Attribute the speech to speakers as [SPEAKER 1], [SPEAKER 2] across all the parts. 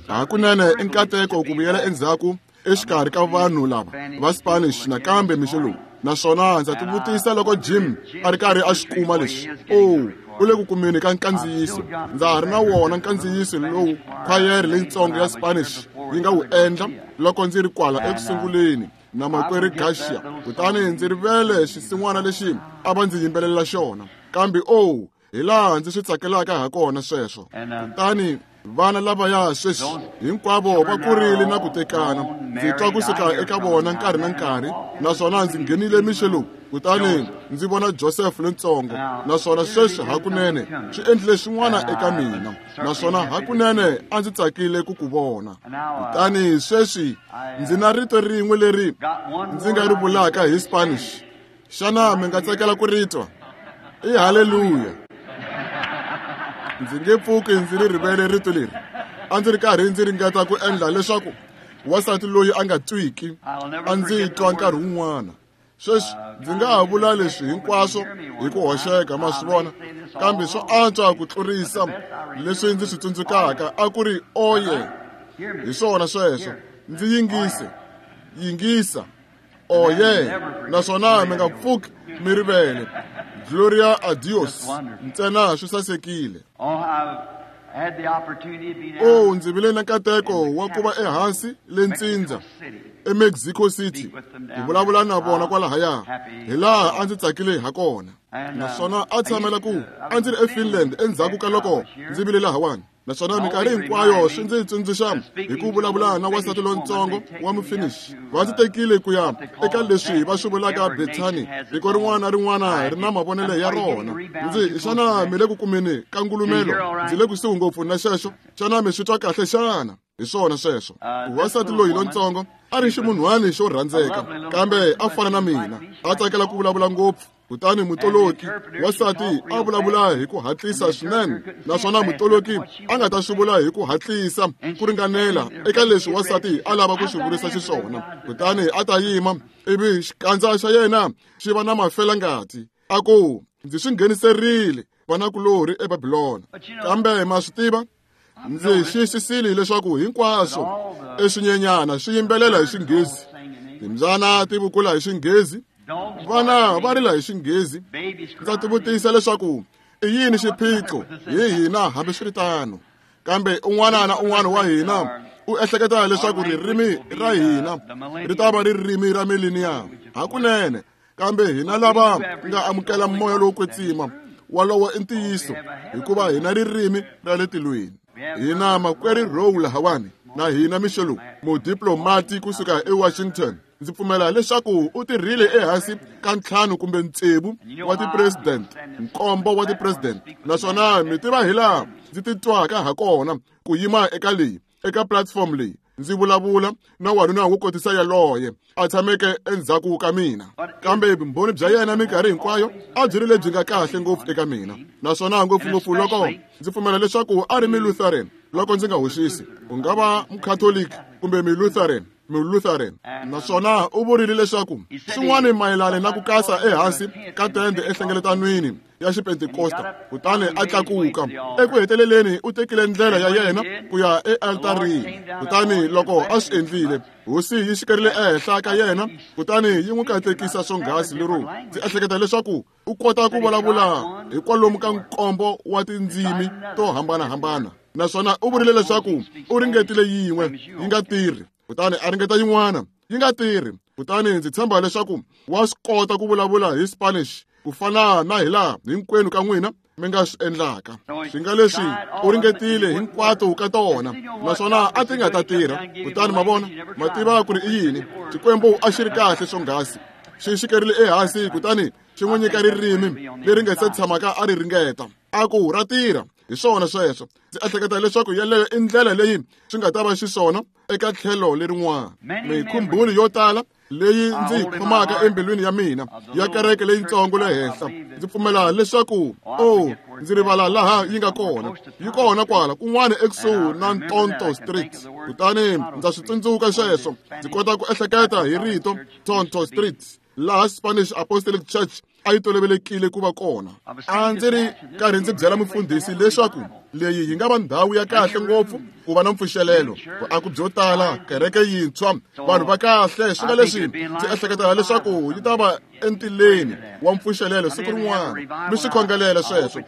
[SPEAKER 1] Hakunene i nkateko ku vuyela endzhaku exikarhi ka vanhu lava va Spanish nakambe mixo lowu. Naswona ndza tivutisa loko Jim a ri karhi a xi kuma lexi. Oh, u le ku kumeni ka nkandziyiso. Ndza ha ri na wona nkandziyiso lowu khwayere leyitsongo ya Spanish yi nga wu endla loko ndzi ri kwala eku sunguleni na makwerhu Garcia. Kutani ndzi rivele xisin'wana lexi a va ndzi yimbelelela xona. Kambe oh, hi laha ndzi swi tsakelaka ha kona sweswo. Kutani vana lavaya sweswi hinkwavo va kurile na ku tekana. Ndzi twa kusuka eka vona nkarhi na nkarhi, naswona ndzi nghenile mixo lowu kutani ndzi vona Joseph lontsongo, naswona sweswi hakunene swi endlile swin'wana eka mina, naswona hakunene a ndzi tsakile ku ku vona. Kutani sweswi ndzi na rito rin'we leri ndzi nga ri vulaka hi Spanish. Xana mi nga tsakela ku ri twa? I haleluya. Ndzi nge pfuki ndzi ri rivele rito leri. A ndzi ri karhi ndzi ringeta ku endla leswaku wansati loyi a nga twiki a ndzi twa nkarhi wun'wana. Sweswi ndzi nga ha vula leswi hinkwaswo hi ku hoxeka, ma swi vona, kambe swo antswa ku tlurisa leswi ndzi swi tsundzukaka a ku ri oye. Hi swona sweswo. Ndzi yingise. Yingisa. Oye, naswona mi nga pfuki mi rivele. Gloria a Dios. Ntsena swi sasekile. Oh, ndzi vile na nkateko wa ku va ehansi le ntsindza eMexico City ku vulavula na vona kwalahaya, hi laha a ndzi tsakile ha kona. Naswona a tshamela ku a ndzi ri eFinland endzhaku ka loko ndzi vile lahawani. Naswona minkarhi hinkwayo swi ndzi tsundzuxa hi ku vulavula na wansati lontsongo wa Mufinish. Va ndzi tekile ku ya eka leswi va swi vulaka Bethany. Tiko rin'wana na rin'wana ri na mavonelo ya rona. Ndzi xana mi le ku kumeni ka ngulumelo? Ndzi le kusuhi ngopfu na xexo. Xana mi swi twa kahle xana? Hi swona sweswo. Wansati loyi lontsongo a ri ximunhwani xo rhandzeka, kambe a fana na mina, a tsakela ku vulavula ngopfu. Kutani mutoloki wansati a vulavula hi ku hatlisa swinene, naswona mutoloki a nga ta swi vula hi ku hatlisa ku ringanela eka leswi wansati a lava ku swi vurisa xiswona. Kutani a ta yima ivi xikandza xa yena xi va na mafelangati, a ku, ndzi swi ngheniserile vanakulorhi eBabilona. Kambe ma swi tiva, ndzi xiyisisile leswaku hinkwaswo eswinyenyana swi yimbelela hi Xinghezi, timbyana ti vukula hi Xinghezi, vana va rila hi Xinghezi. Ndza tivutisa leswaku i yini xiphiqo hi hina hambiswiritano. Kambe un'wana na un'wana wa hina u ehleketa leswaku ririmi ra hina ri ta va ririmi ra mileniyamu hakunene, kambe hina lava nga amukela moya lowo kwetsima walowo i ntiyiso, hikuva hina ririmi ra le tilweni. Hina makwerhu Rowe lahawani na hina mixo lowu, mudiplomati kusuka eWashington. Ndzi pfumela leswaku u tirhile ehansi ka 5 kumbe 6 wa ti-president, 7 wa ti-president. Naswona mi tiva hi laha ndzi titwaka ha kona ku yima eka leyi, eka platform leyi, ndzi vulavula na wanuna wo kotisa yaloye a tshameke endzhaku ka mina. Kambe vumbhoni bya yena minkarhi hinkwayo a byi ri lebyi nga kahle ngopfu eka mina, naswona ngopfungopfu loko ndzi pfumela leswaku a ri Mulutheran, loko ndzi nga hoxisi, ku nga va Mukhatoliki kumbe Mulutheran. Mulutheran. Naswona u vurile leswaku swin'wana mayelana na ku kasa ehansi ka tende enhlengeletanweni ya Xipentekosta, kutani a tlakuka. Eku heteleleni u tekile ndlela ya yena ku ya ealtarini. Kutani loko a swi endlile, Hosi yi xikerile ehenhla ka yena, kutani yi n'wi katekisa swonghasi lero ndzi ehleketa leswaku u kota ku vulavula hi kwalomu ka 7 wa tindzimi to hambanahambana. Naswona u vurile leswaku u ringetile yin'we yi nga tirhi, kutani a ringeta yin'wana yi nga tirhi. Kutani ndzi tshemba leswaku wa swi kota ku vulavula hi Spanish ku fana na hi laha hinkwenu ka n'wina mi nga swi endlaka. Swi nga leswi u ringetile hinkwato ka tona, naswona a ti nga ta tirha. Kutani ma vona, ma tiva ku ri i yini? Xikwembu a xi ri kahle swonghasi, xi xikerile ehansi kutani xi n'wi nyika ririmi leri nga se tshamaka a ri ringeta. A ku ra tirha. Hi swona sweswo. Ndzi ehleketa leswaku yeleyo i ndlela leyi swi nga ta va xiswona eka tlhelo lerin'wana. Mikhumbhulo yo tala leyi ndzi yi khomaka embilwini ya mina ya kereke leyitsongo le henhla, ndzi pfumela leswaku oh, ndzi rivala laha yi nga kona. Yi kona kwala kun'wana ekusuhi na Tonto Street. Kutani ndza swi tsundzuka sweswo. Ndzi kota ku ehleketa hi rito Tonto Street, laha Spanish Apostolic Church a yi tolovelekile ku va kona. A ndzi ri karhi ndzi byela mufundhisi leswaku leyi yi nga va ndhawu ya kahle ngopfu ku va na mpfuxelelo, vuako byo tala, kereke yintshwa, vanhu va kahle. Swi nga leswi ndzi ehleketa leswaku yi ta va entileni wa mpfuxelelo siku rin'wana. Mi swi khongelela sweswo,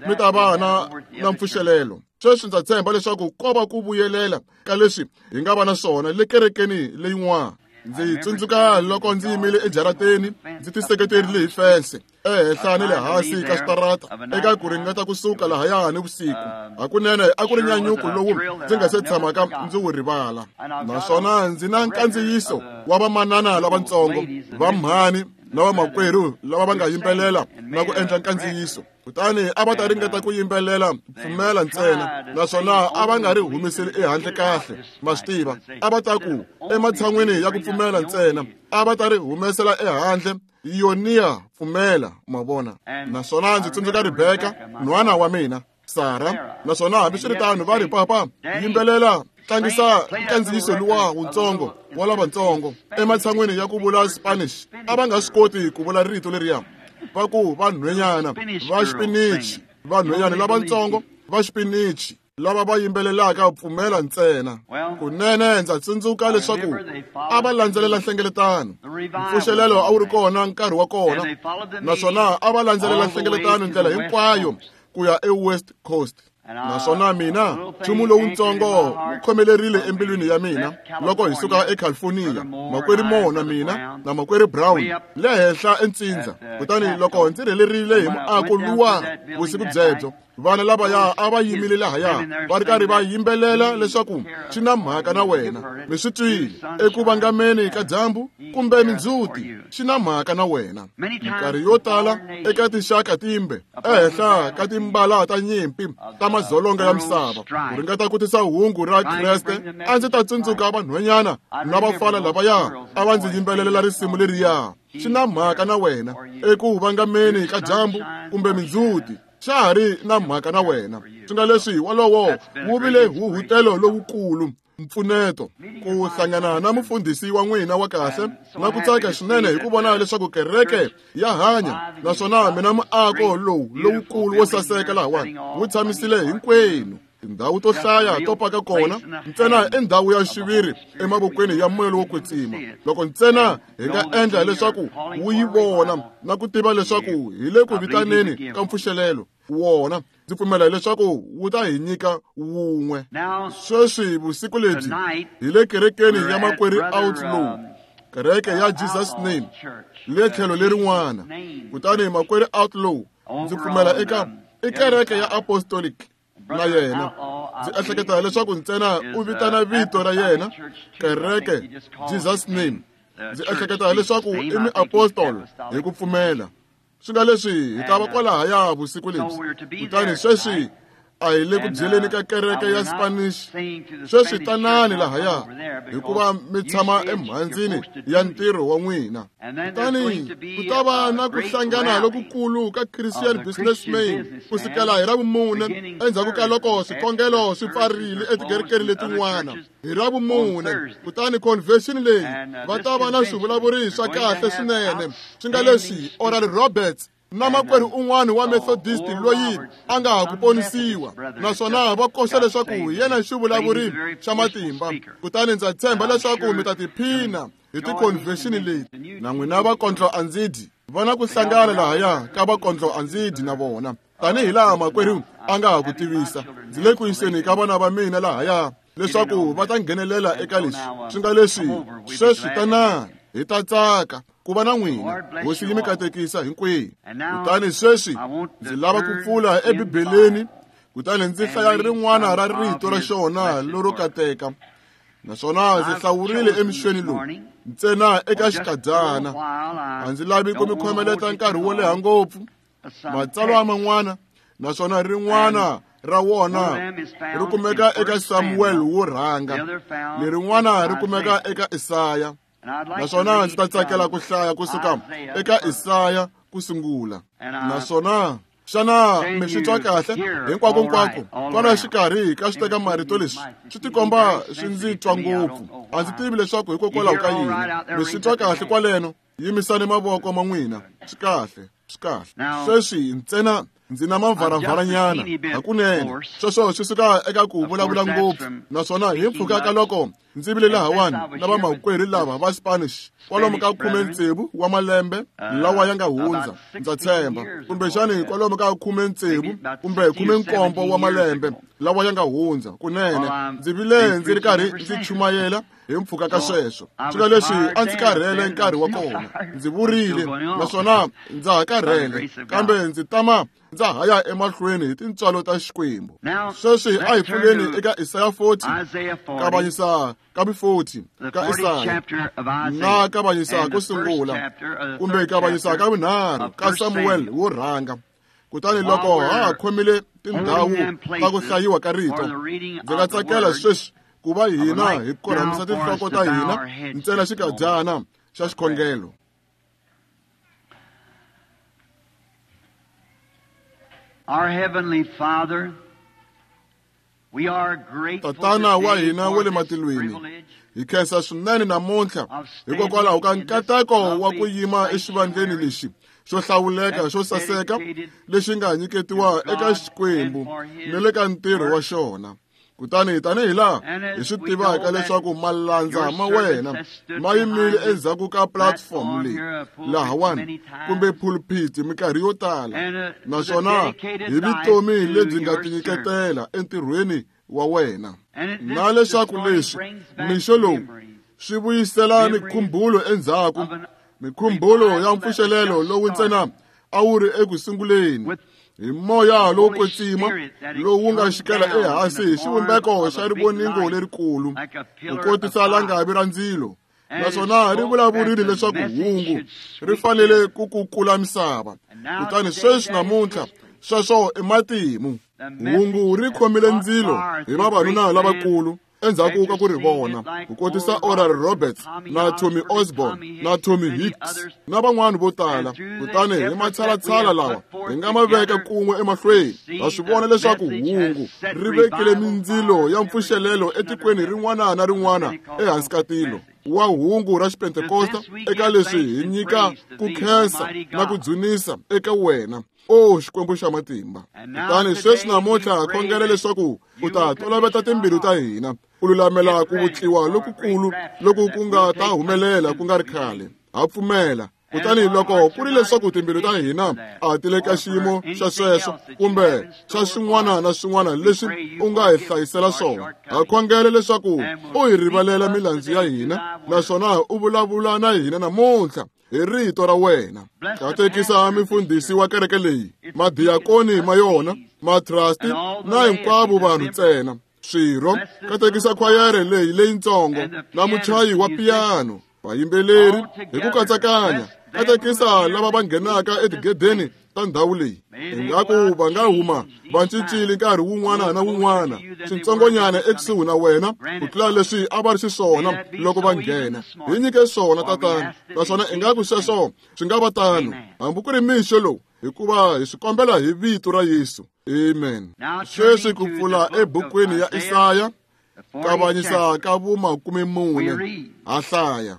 [SPEAKER 1] mi ta va na mpfuxelelo. Sweswi ndza tshemba leswaku ko va ku vuyelela ka leswi hi nga va na swona le kerekeni leyin'wana. Ndzi tsundzuka loko ndzi yimile ejarateni ndzi tiseketerile hi fense ehenhla ni le hansi ka switarata eka ku ringeta kusuka lahaya ni vusiku. Hakunene a ku ri nyanyuko lowu ndzi nga se tshamaka ndzi wu rivala. Naswona ndzi na nkandziyiso wa vamanana lavatsongo, vamhani na vamakwerhu lava va nga yimbelela na ku endla nkandziyiso. Kutani a va ta ringeta ku yimbelela pfumela ntsena, naswona a va nga ri humeseli ehandle kahle. Ma swi tiva, a va ta ku ematshan'wini ya ku pfumela ntsena, a va ta ri humesela ehandle yoniya pfumela, ma vona. Naswona ndzi tsundzuka Rebeka, nhwana wa mina, Sara, naswona hambiswiritano va ri, papa, yimbelela, tlangisa nkandziyiso luwa wutsongo wa lavatsongo. Ematshan'wini ya ku vula Spanish, a va nga swi koti ku vula rito leriya. Va ku vanhwenyana va xipinichi, vanhwenyana lavatsongo va xipinichi lava va yimbelelaka pfumela ntsena. Kunene ndza tsundzuka leswaku a va landzelela nhlengeletano. Mpfuxelelo a wu ri kona nkarhi wa kona, naswona a va landzelela nhlengeletano ndlela hinkwayo ku ya eWest Coast. Naswona mina nchumu lowutsongo wu khomelerile embilwini ya mina loko hi suka eCalifornia, makwerhu Moore na mina na makwerhu Brown le henhla entsindza. Kutani loko ndzi rhelerile hi muako luwa vusiku byebyo, vana lavaya a va yimile lahaya va ri karhi va yimbelela leswaku swi na mhaka na wena. Mi swi twile eku vangameni ka dyambu kumbe mindzhuti, swi na mhaka na wena. Minkarhi yo tala eka tinxaka timbe ehenhla ka timbala ta nyimpi ta madzolonga ya misava ku ringeta ku tisa hungu ra Kreste, a ndzi ta tsundzuka vanhwanyana na vafana lavaya a va ndzi yimbelelela risimu leriya, swi na mhaka na wena eku vangameni ka dyambu kumbe mindzhuti, xa ha ri na mhaka na wena. Swi nga leswi wolowo wu vile huhutelo lowukulu, mpfuneto ku hlangana na mufundhisi wa n'wina wa kahle na ku tsaka swinene hi ku vona leswaku kereke ya hanya, naswona mina muako lowu lowukulu wo saseka lahawani wu tshamisile hinkwenu. Tindhawu to hlaya to paka kona ntsena i ndhawu ya xiviri emavokweni ya moya lowo kwetsima. Loko ntsena hi nga endla leswaku wu yi vona na ku tiva leswaku hi le ku vitaneni ka mpfuxelelo wona, ndzi pfumela leswaku wu ta hi nyika wun'we. Sweswi vusiku lebyi hi le kerekeni ya makwerhu Outlaw, kereke ya Jesus Name le tlhelo lerin'wana. Kutani makwerhu Outlaw ndzi pfumela eka i kereke ya Apostolic na yena. Ndzi ehleketa leswaku ntsena u vitana vito ra yena kereke Jesus Name. Ndzi ehleketa leswaku i muapostol hi ku pfumela. Swi nga leswi hi ta va kwalahaya vusiku lebyi. Kutani sweswi a hi le ku byeleni ka kereke ya Spanish. Sweswi tanani lahaya hikuva mi tshama emhandzini ya ntirho wa n'wina. Kutani ku ta va na ku hlangana lokukulu ka Christian Businessmen ku sukela hi Ravumune endzhaku ka loko swikhongelo swi pfarile etikerekeni letin'wana hi Ravumune. Kutani convention leyi va ta va na swivulavuri swa kahle swinene, swi nga leswi Oral Roberts na makwerhu un'wana wa Methodist loyi a nga ha ku ponisiwa, naswona va koxa leswaku yena xivulavuri xa matimba. Kutani ndza tshemba leswaku mi ta tiphina hi ti-convention leti. Na n'wina vakondlo andzidyi va na ku hlangana lahaya ka vakondlo andzidyi na vona, tanihi laha makwerhu a nga ha ku tivisa. Ndzi le ku yiseni ka vana va mina lahaya leswaku va ta nghenelela eka leswi. Swi nga leswi sweswi tanani hi ta tsaka ku va na n'wina. Hosi yi mi katekisa hinkwenu. Kutani sweswi ndzi lava ku pfula eBibeleni, kutani ndzi hlaya rin'wana ra rito ra xona lero kateka. Naswona ndzi hlawurile emixweni lowu ntsena eka xikadyana. A ndzi lavi ku mi khomeleta nkarhi wo leha ngopfu. Matsalwa man'wana, naswona rin'wana ra wona ri kumeka eka Samuel wo rhanga, lerin'wana ri kumeka eka Isaya. Naswona ndzi ta tsakela ku hlaya kusuka eka Isaya ku sungula. Naswona xana mi swi twa kahle hinkwako kwala xikarhi ka swi teka marito leswi swi tikomba swi ndzi twa ngopfu. A ndzi tivi leswaku hikokwalaho ka yini. Mi swi twa kahle kwaleno? Yimisani mavoko ma n'wina. Swi kahle, swi kahle. Sweswi ntsena ndzi na mavharavaranyana hakunene. Sweswo swi suka eka ku vulavula ngopfu, naswona hi mpfhuka ka loko ndzi vile lahawani na vamakwerhu lava va Spanish kwalomu ka 16 wa malembe lawa ya nga hundza, ndza tshemba, kumbexani kwalomu ka 16 kumbe 17 wa malembe lawa ya nga hundza. Kunene ndzi vile ndzi ri karhi ndzi chumayela hi mpfhuka ka sweswo. Swilo leswi a ndzi karhele nkarhi wa kona, ndzi vurile, naswona ndza ha karhele, kambe ndzi tama ndza ha ya emahlweni hi tintswalo ta Xikwembu. Sweswi a hi pfuleni eka Isaya 40, kavanyisa ka 40 ka Isaya, na kavanyisa ko sungula kumbe kavanyisa ka vunharhu ka Samuel wo rhanga. Kutani loko ha ha khomile tindhawu ta ku hlayiwa ka rito, ndzi nga tsakela sweswi ku va hina hi korhamisa tinhloko ta hina ntsena xikadyana xa xikhongelo.
[SPEAKER 2] Our Heavenly Father, we are grateful
[SPEAKER 1] Tatana wa hina wa le
[SPEAKER 2] for this
[SPEAKER 1] matilweni,
[SPEAKER 2] privilege
[SPEAKER 1] hi khensa swinene namuntlha hikokwalaho ka nkateko wa ku yima exivandleni lexi xo hlawuleka xo saseka lexi nga nyiketiwa eka Xikwembu ni le ka ntirho wa xona. Kutani tanihi laha hi swi tivaka leswaku malandza ma wena ma yimile endzhaku ka platform leyi lahawani kumbe pulpit minkarhi yo tala, naswona hi vutomi lebyi nga tinyiketela entirhweni wa wena, na leswaku leswi mixo lowu swi vuyisela mikhumbulo endzhaku, mikhumbulo ya mpfuxelelo lowu ntsena a wu ri eku sunguleni hi moya lowo kwetsima lowu nga xikela ehansi hi xivumbeko xa rivoningo lerikulu ku kotisa langavi ra ndzilo, naswona ri vulavurile leswaku hungu ri fanele ku kukula misava. Kutani sweswi namuntlha sweswo i matimu. Hungu ri khomile ndzilo hi vavanuna lavakulu endzhaku ka ku ri vona, ku kotisa Oral Roberts na Tommy Osborne na Tommy Hicks na van'wana vo tala. Kutani hi matshalatshala lawa hi nga ma veka kun'we emahlweni, ha swi vona leswaku hungu ri vekile mindzilo ya mpfuxelelo etikweni rin'wana na rin'wana ehansi ka tilo wa hungu ra Xipentekosta. Eka leswi hi nyika ku khensa na ku dzunisa eka wena, o Xikwembu xa matimba. Kutani sweswi namuntlha khongela leswaku u ta toloveta timbilu ta hina u lulamela ku vutliwa lokukulu loku ku nga ta humelela ku nga ri khale. Ha pfumela. Kutani loko ku ri leswaku timbilu ta hina a ti le ka xiyimo xa sweswo kumbe xa swin'wana na swin'wana leswi u nga hi hlayisela swona, ha khongela leswaku u hi rivalela milandzu ya hina, naswona u vulavula na hina namuntlha hi rito ra wena. Katekisa mifundhisi wa kereke leyi, madiyakoni ma yona, matrasti na hinkwavo vanhu ntsena swirho. Katekisa khwayere leyi leyintsongo na muchayi wa piyano, vayimbeleri hi ku katsakanya. Katekisa lava va nghenaka etigedeni ta ndhawu leyi, ingaku va nga huma va cincile nkarhi wun'wana na wun'wana swintsongonyana ekusuhi na wena ku tlula leswi a va ri xiswona loko va nghena. Hi nyike swona, Tatana, naswona ingaku sweswo swi nga va tano hambi ku ri mixo lowu, hikuva hi swi kombela hi vito ra Yesu. Amen. Sweswi ku pfula ebukwini ya Isaya, kavanyisa ka vu-14, ha hlaya.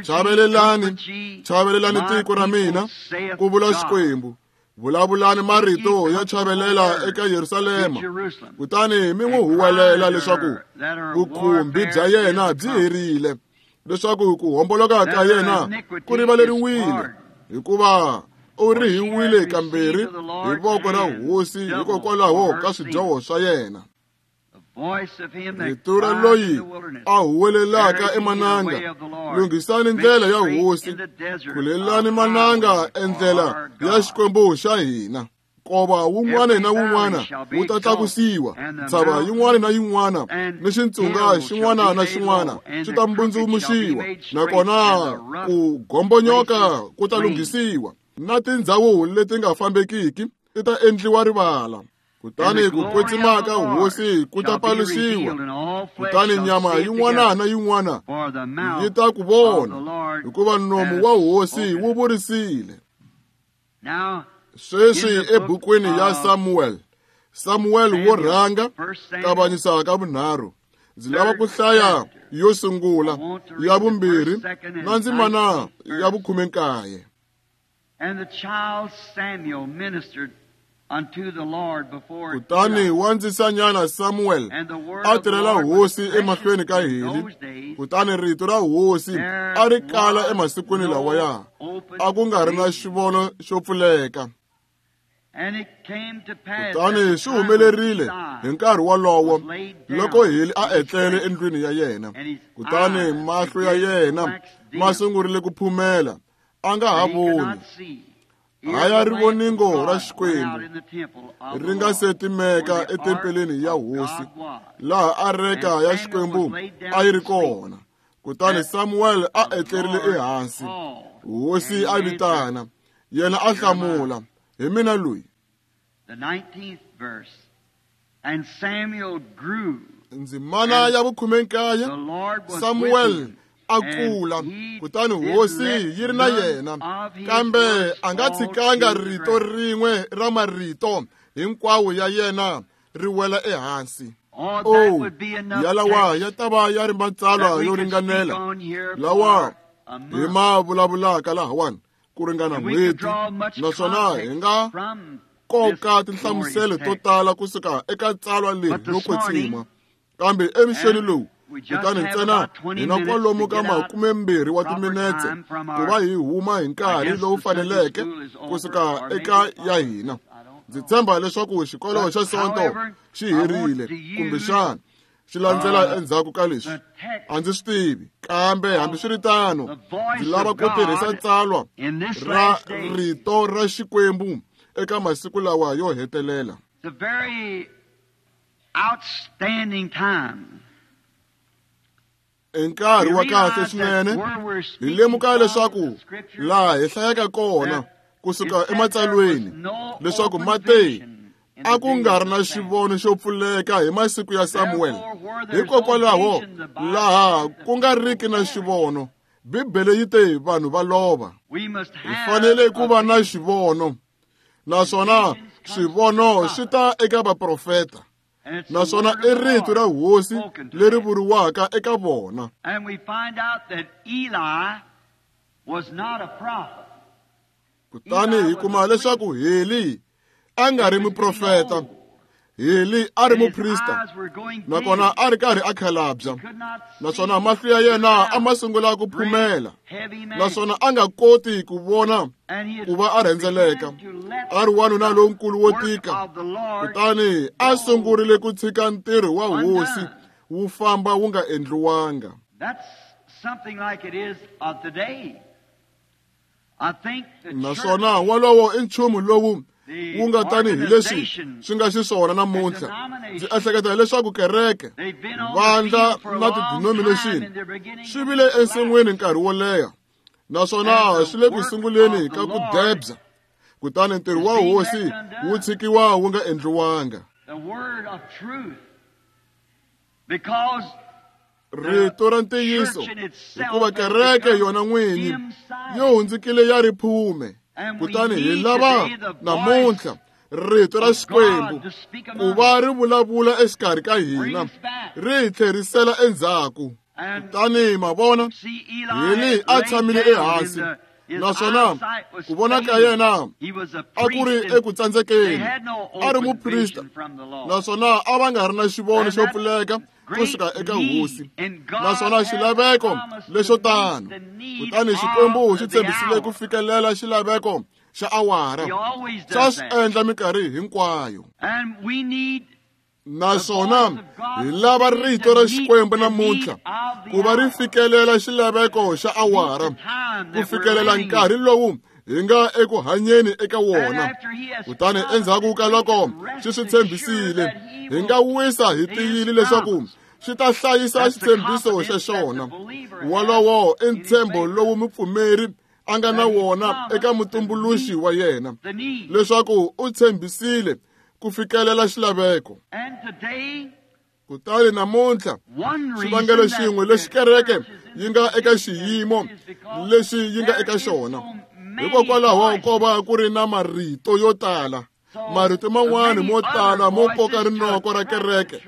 [SPEAKER 1] Chavelelani, chavelelani tiko ra mina, ku vula Xikwembu. Vulavulani marito ya chavelela eka Yerusalema, kutani mi n'wi huwelela leswaku vukhumbi bya yena byi herile, leswaku ku homboloka ka yena ku rivaleriwile, hikuva u rihiwile kambirhi hi voko ra Hosi hikokwalaho ka swidyoho swa yena. Rito ra loyi a huwelelaka emananga, lunghisani ndlela ya Hosi, khulelani mananga endlela ya Xikwembu xa hina. Nkova wun'wana na wun'wana wu ta tlakusiwa, ntshava yin'wana na yin'wana ni xitsunga xin'wana na xin'wana swi ta mbundzumuxiwa, nakona ku gombonyoka ku ta lunghisiwa, na tindhawu leti nga fambekiki ti ta endliwa rivala. Kutani ku kwetsima ka Hosi ku ta paluxiwa, kutani nyama yin'wana na yin'wana yi ta ku vona, hikuva nomu wa Hosi wu vurisile. Sweswi ebukwini ya Samuel, Samuel wo rhanga, kavanyisa ka vunharhu, Ndzi lava ku hlaya yo sungula, ya vumbirhi na ndzimana ya 19. Kutani wandzisanyana Samuel a tirhela hosi emahlweni ka Heli. Kutani rito ra hosi a ri kala emasikwini lawaya, a ku nga ri na xivono xo pfuleka. Kutani swi humelerile hi nkarhi wolowo loko Heli a etlele endlwini ya yena. Kutani mahlo ya yena ma sungurile ku phumela, a nga ha voni. Haya rivoningo ra Xikwembu ri nga se timeka etempeleni ya hosi, laha areka ya Xikwembu a yi ri kona. Kutani Samuel a etlerile ehansi. Hosi a vitana, yena a hlamula, hi mina loyi. Ndzimana ya 19, Samuel a kula, kutani hosi yi ri na yena, kambe a nga tshikanga rito rin'we ra marito hinkwawo ya yena ri wela ehansi. Oh, yalawa ya ta va ya ri matsalwa yo ringanela lawa hi ma vulavulaka lahawani ku ringana n'hweti, naswona hi nga koka tinhlamuselo to tala kusuka eka tsalwa leri ro kwetsima. Kambe emixeni lowu, kutani ntsena hi na kwalomu ka 20 wa timinetse ku va hi huma hi nkarhi lowu faneleke kusuka eka ya hina. Ndzi tshemba leswaku xikolo xa Sonto xi herile, kumbexana xi landzela endzhaku ka leswi, a ndzi swi tivi. Kambe hambiswiritano, ndzi lava ku tirhisa tsalwa ra rito ra Xikwembu eka masiku lawa yo hetelela. I nkarhi wa kahle swinene. Hi lemuka leswaku laha hi hlayaka kona kusuka ematsalweni leswaku Mateyu a ku nga ri na xivono xo pfuleka hi masiku ya Samuel. Hikokwalaho laha ku nga riki na xivono, Bibele yi te vanhu va lova. Hi fanele ku va na xivono, naswona swivono swi ta eka vaprofeta, naswona i rito ra hosi leri vuriwaka eka vona. Kutani hi kuma leswaku Heli a nga ri muprofeta. Heli a ri muprista, nakona a ri karhi a khalabya, naswona mahlo ya yena a ma sungula ku phumela, naswona a nga koti ku vona ku va a rhendzeleka. A ri wanuna lonkulu wo tika. Kutani a sungurile ku tshika ntirho wa hosi wu famba wu nga endliwanga. Naswona wolowo i nchumu lowu wu nga tanihi leswi swi nga xiswona namuntlha. Ndzi ehleketa leswaku kereke, vandla na ti-denomination swi vile ensin'wini nkarhi wo leha, naswona swi le ku sunguleni ka ku debya. Kutani ntirho wa hosi wu tshikiwa wu nga endliwanga. Rito ra ntiyiso, hikuva kereke yona n'winyi yo hundzukile ya riphume. Kutani hi lava namuntlha rito ra Xikwembu ku va ri vulavula exikarhi ka hina, ri hi tlherisela endzhaku. Kutani ma vona, Heli a tshamile ehansi, naswona ku vona ka yena a ku ri eku tsandzekeni. A ri muprista, naswona a va nga ri na xivono xo pfuleka kusuka eka hosi, naswona xilaveko lexo tano. Kutani Xikwembu xi tshembisile ku fikelela xilaveko xa awara. Xa swi endla minkarhi hinkwayo. Naswona hi lava rito ra Xikwembu namuntlha ku va ri fikelela xilaveko xa awara, ku fikelela nkarhi lowu hi nga eku hanyeni eka wona. Kutani endzhaku ka loko xi swi tshembisile, hi nga wisa hi tiyile leswaku xi ta hlayisa xitshembiso xa xona. Wolowo i ntshembo lowu mupfumeri a nga na wona eka mutumbuluxi wa yena, leswaku u tshembisile ku fikelela xilaveko. Kutani namuntlha xivangelo xin'we lexi kereke yi nga eka xiyimo lexi yi nga eka xona, hikokwalaho ko va ku ri na marito yo tala, marito man'wani mo tala mo koka rinoko ra kereke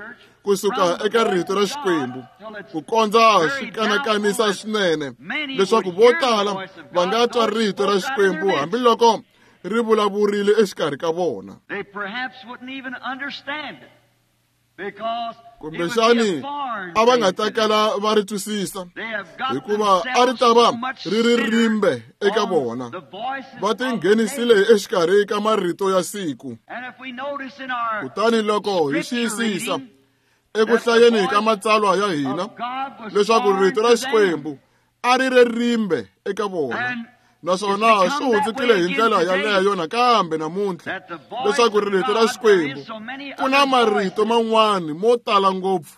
[SPEAKER 1] kusuka eka rito ra Xikwembu ku kondza swi kanakanisa swinene leswaku vo tala va nga twa rito ra Xikwembu hambiloko ri vulavurile exikarhi ka vona. Kumbexani a va nga ta kala va ri twisisa hikuva a ri ta va ri ri rimbe eka vona. Va tinghenisile exikarhi ka marito ya siku. Kutani loko hi xiyisisa eku hlayeni ka matsalwa ya hina leswaku rito ra Xikwembu a ri ri rimbe eka vona, naswona swi hundzukile hi ndlela yaleyo nakambe namuntlha leswaku rito ra Xikwembu ku na marito man'wana mo tala ngopfu.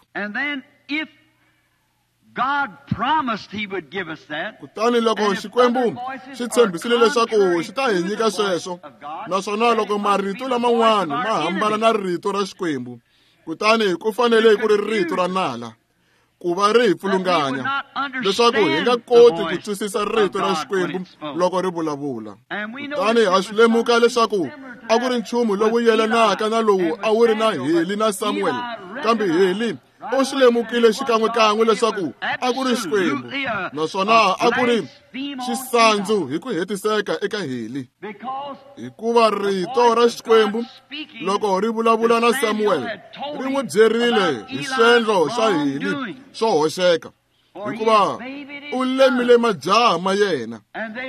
[SPEAKER 1] Kutani loko Xikwembu xi tshembisile leswaku xi ta hi nyika sweswo, naswona loko marito laman'wana ma hambana na rito ra Xikwembu, kutani ku fanele ku ri rito ra nala ku va ri hi pfulunganya leswaku hi nga koti ku twisisa rito ra Xikwembu loko ri vulavula. Kutani ha swi lemuka leswaku a ku ri nchumu lowu yelanaka na lowu a wu ri na Heli na Samuel, kambe Heli u swi lemukile xikan'wekan'we leswaku a ku ri Xikwembu, naswona a ku ri xisandzu hi ku hetiseka eka Heli, hikuva rito ra Xikwembu loko ri vulavula na Samuel ri n'wi byerile hi swendlo swa Heli swo hoxeka, hikuva u lemile majaha ma yena,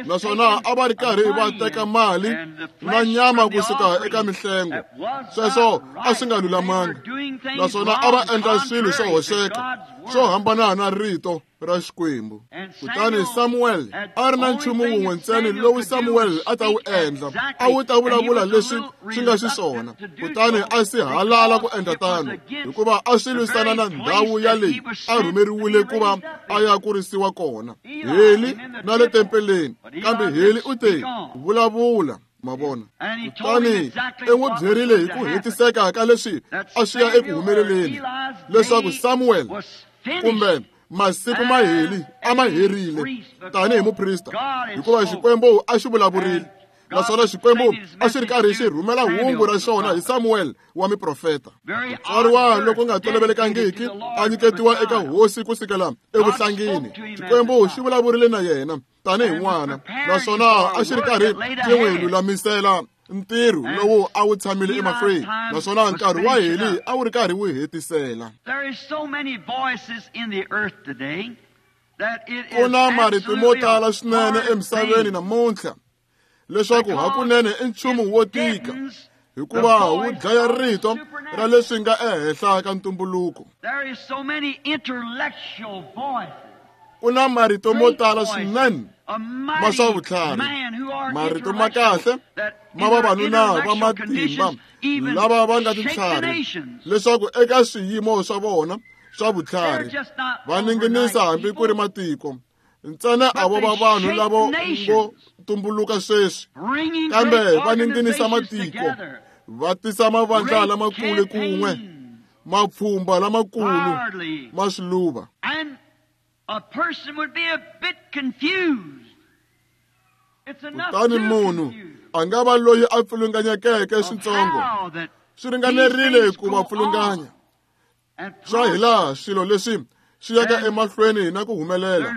[SPEAKER 1] naswona a va ri karhi va teka mali na nyama kusuka eka mihlengo. Sweswo a swi nga lulamanga, naswona a va endla swilo swo hoxeka swo hambana na rito ra Xikwembu. Kutani Samuel a ri na nchumu wun'we ntsena lowu Samuel a ta wu endla, a wu ta vulavula leswi swi nga xiswona, kutani a si halala ku endla tano hikuva a swi lwisana na ndhawu ya leyi a rhumeriwile ku va a ya kurisiwa kona, Heli na le tempeleni. Kambe Heli u te, vulavula. Ma vona? Kutani i n'wi byerile hi ku hetiseka ka leswi a swi ya eku humeleleni leswaku Samuel kumbe masiku ma Heli a ma herile tanihi muprista, hikuva Xikwembu a xi vulavurile, naswona Xikwembu a xi ri karhi xi rhumela hungu ra xona hi Samuel wa miprofeta. Tswariwa loko nga tolovelekangiki a nyiketiwa eka hosi kusukela evuhlangini. Xikwembu xi vulavurile na yena tanihi n'wana, naswona a xi ri karhi xi n'wi lulamisela ntirho lowu a wu tshamile emahlweni, naswona nkarhi wa Heli a wu ri karhi wu hetisela. Ku na marito mo tala swinene emisaveni namuntlha leswaku hakunene i nchumu wo tika, hikuva wu dlaya rito ra leswi nga ehenhla ka ntumbuluko. Ku na marito mo tala swinene ma swa vutlhari, marito ma kahle ma vavanuna va matimba lava va nga tintlhari, leswaku eka swiyimo swa vona swa vutlhari va ninginisa hambi ku ri matiko. Ntsena a vo va vanhu lavo ngo tumbuluka sweswi, kambe va ninginisa matiko, va tisa mavandla lamakulu kun'we, mapfhumba lamakulu ma swiluva. Kutani munhu a nga va loyi a pfulunganyekeke switsongo, swi ringanerile ku va pfulunganya swa hilaha swilo leswi swi yaka emahlweni na ku humelela.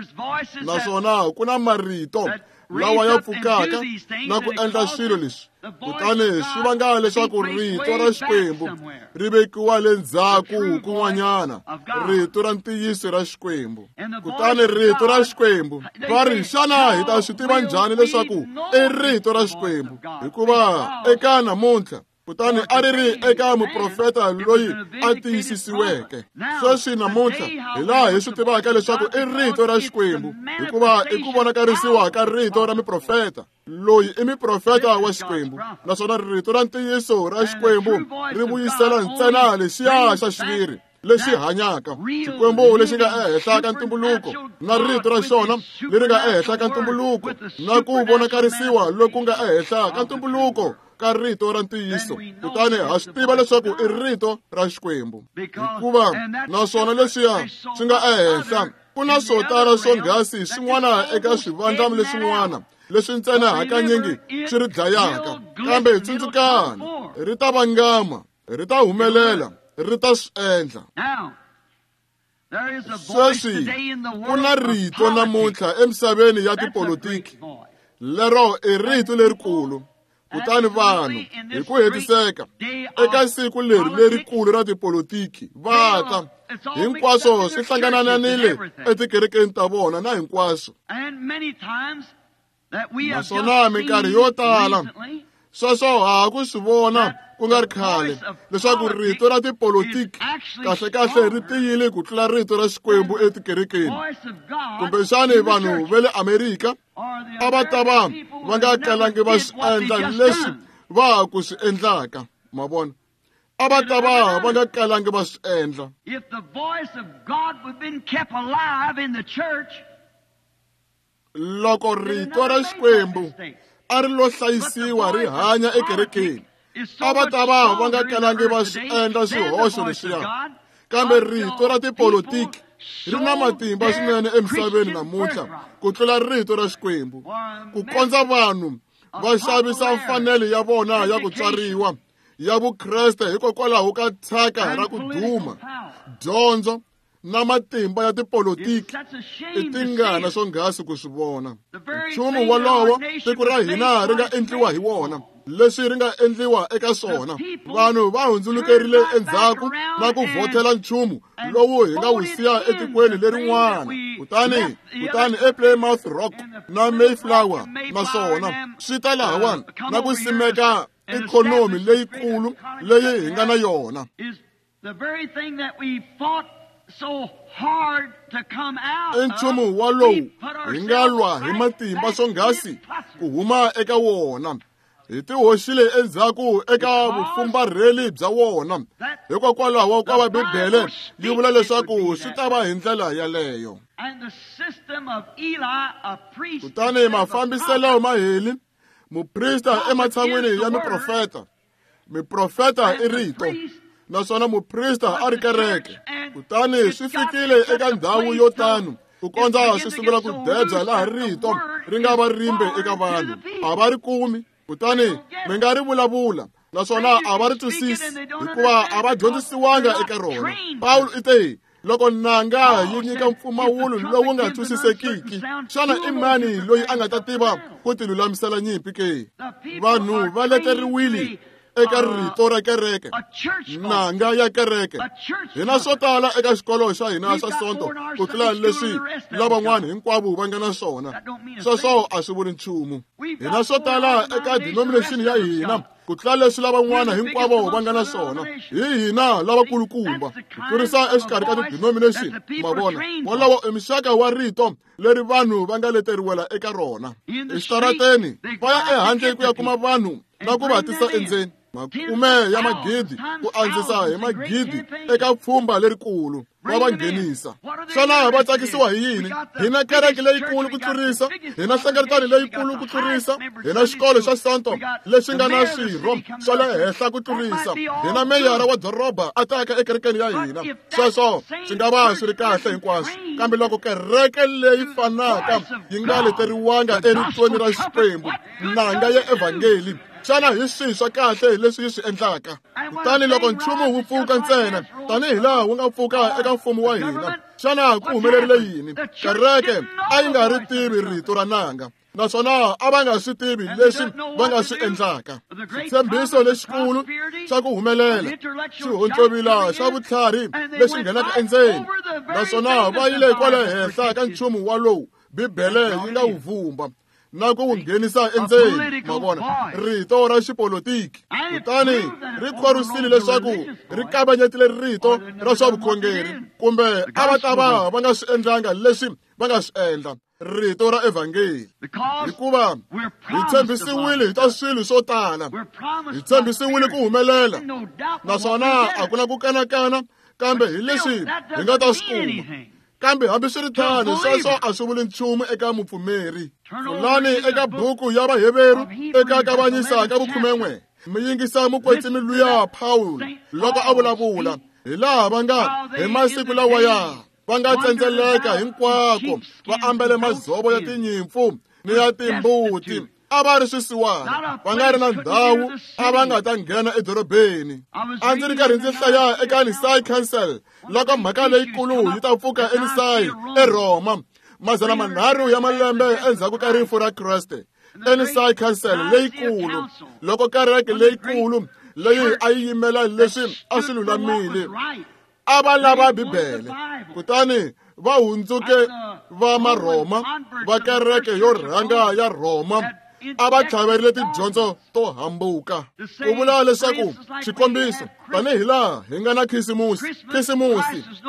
[SPEAKER 1] Naswona ku na marito lawa ya pfukaka na ku endla swilo leswi, kutani swi vanga leswaku rito ra Xikwembu ri vekiwa le ndzhaku kun'wanyana, rito ra ntiyiso ra Xikwembu. Kutani rito ra Xikwembu va ri, xana hi ta swi tiva njhani leswaku i rito ra Xikwembu? Hikuva eka namuntlha, kutani a ri ri eka muprofeta loyi a tiyisisiweke. Sweswi namuntlha hi laha hi swi tivaka leswaku i rito ra Xikwembu, hikuva i ku vonakarisiwa ka rito ra miprofeta. Loyi i miprofeta wa Xikwembu, naswona rito ra ntiyiso ra Xikwembu ri vuyisela ntsena lexiya xa xiviri lexi hanyaka, Xikwembu lexi nga ehenhla ka ntumbuluko, na rito ra xona leri nga ehenhla ka ntumbuluko, na ku vonakarisiwa loku nga ehenhla ka ntumbuluko ka rito ra ntiyiso. Kutani ha swi tiva leswaku i rito ra Xikwembu, hikuva naswona leswiya swi nga ehenhla ku na swo tala swonghasi swin'wana eka swivandla leswin'wana leswi ntsena hakanyingi swi ri dlayaka. Kambe tsundzukani, ri ta vangama, ri ta humelela, ri ta swi endla. Sweswi ku na rito namuntlha emisaveni ya tipolitiki, lero i rito lerikulu. Kutani vanhu hi ku hetiseka eka siku leri lerikulu ra tipolitiki va ta hinkwaswo swi hlangananile etikerekeni ta vona na hinkwaswo. Naswona minkarhi yo tala sweswo ha ku swi vona ku nga ri khale leswaku rito ra tipolitiki kahlekahle ri tiyile ku tlula rito ra Xikwembu etikerekeni. Kumbexani vanhu va le Amerika a va ta va va nga kalangi va swi endla leswi va ha ku swi endlaka, ma vona, a va ta va va nga kalangi va swi endla. Loko rito ra Xikwembu a ri lo hlayisiwa ri hanya ekerekeni, a va ta va va nga kalangi va swi endla swihoxo leswiya. Kambe rito ra tipolitiki ri na matimba swinene emisaveni namuntlha ku tlula rito ra Xikwembu, ku kondza vanhu va xavisa mfanelo ya vona ya ku tswariwa ya Vukreste hikokwalaho ka thyaka ra ku duma, dyondzo na matimba ya tipolitiki. I tingana swonghasi ku swi vona. Nchumu wolowo tiko ra hina ri nga endliwa hi wona, leswi ri nga endliwa eka swona. Vanhu va hundzulukerile endzhaku na ku vhotela nchumu lowu hi nga wu siya etikweni lerin'wana. Kutani ePlymouth Rock na Mayflower naswona swi ta lahawani na ku simeka ikhonomi leyikulu leyi hi nga na yona. I nchumu walowu hi nga lwa hi matimba swonghasi ku huma eka wona, hi tihoxile endzhaku eka vufumbarheli bya wona. Hikokwalaho ka va Bibele yi vula leswaku swi ta va hi ndlela yaleyo. Kutani mafambiselo ma Heli, muprista ematshan'wini ya miprofeta. Miprofeta i rito, naswona muprista a ri kereke. Kutani swi fikile eka ndhawu yo tano ku kondza swi sungula ku debya laha rito ri nga va rimbe eka vanhu, a va ri kumi. Kutani mi nga ri vulavula naswona a va ri twisisi hikuva a va dyondzisiwanga eka rona. Pawulo i te, loko nanga yi nyika mpfumawulo lowu nga twisisekiki, xana i mani loyi a nga ta tiva ku tilulamisela nyimpi ke? Vanhu va leteriwile eka rito ra kereke, nanga ya kereke. Hina swo tala eka xikolo xa hina xa Sonto ku tlula leswi lavan'wana hinkwavo va nga na swona. Sweswo a swi vuli nchumu. Hina swo tala eka denomination ya hina ku tlula leswi lavan'wana hinkwavo va nga na swona. Hi hina lavakulukumba ku tlurisa exikarhi ka ti-denomination, ma vona. Wolowo i muxaka wa rito leri vanhu va nga leteriwela eka rona. Exitarateni va ya ehandle ku ya kuma vanhu na ku va tisa endzeni, makume ya magidi ku andzisa hi magidi eka pfhumba lerikulu va va nghenisa. Xana va tsakisiwa hi yini? Hina kereke leyikulu ku tlurisa, hina nhlengeletano leyikulu ku tlurisa, hina xikolo xa Sonto lexi nga na swirho swa le henhla ku tlurisa, hina meyara wa doroba a taka ekerekeni ya hina. Sweswo swi nga va swi ri kahle hinkwaswo, kambe loko kereke leyi fanaka yi nga leteriwanga eritweni ra Xikwembu, nanga ya evhangeli, xana hi swihi swa kahle leswi yi swi endlaka? Kutani loko nchumu wu pfuka ntsena tanihi laha wu nga pfuka eka mfumo wa hina, xana ku humelerile yini? Kereke a yi nga ri tivi rito ra nanga, naswona a va nga swi tivi leswi va nga swi endlaka. Xitshembiso lexikulu xa ku humelela, xihontlovila xa vutlhari lexi nghenaka endzeni, naswona va yile kwale henhla ka nchumu walowu Bibele yi nga wu vumba na ku wu nghenisa endzeni, ma vona, rito ra xipolitiki. Kutani ri khorwisile leswaku ri kavanyetile rito ra swa vukhongeri, kumbe a va ta va va nga swi endlanga leswi va nga swi endla, rito ra evhangeli. Hikuva hi tshembisiwile hi ta swilo swo tala, hi tshembisiwile ku humelela, naswona a ku na ku kanakana kambe hi leswi hi nga ta swi kuma. Kambe hambiswiritano sweswo a swi vuli nchumu eka mupfumeri. Pfulani eka buku ya Vaheveru eka kavanyisa ka vukhumen'we, mi yingisa mukwetsimi luya Pawulo loko a vulavula hi laha va nga hi masiku lawaya va nga tsendzeleka hinkwako va ambele madzovo ya tinyimpfu ni ya timbuti. A va ri swisiwana, va nga ri na ndhawu, a va nga ta nghena edorobeni. A ndzi ri karhi ndzi hlaya eka Nisai Council loko mhaka leyikulu yi ta pfuka eNisai eRhoma, 300 ya malembe endzhaku ka rifu ra Kreste. Enisai Council leyikulu, loko kereke leyikulu leyi a yi yimela leswi a swi lulamile, a va lava Bibele, kutani va hundzuke va Marhoma, va kereke yo rhanga ya Rhoma, a va tlhaverile tidyondzo to hambuka. Ku vula leswaku xikombiso, tanihi laha hi nga na Khisimusi,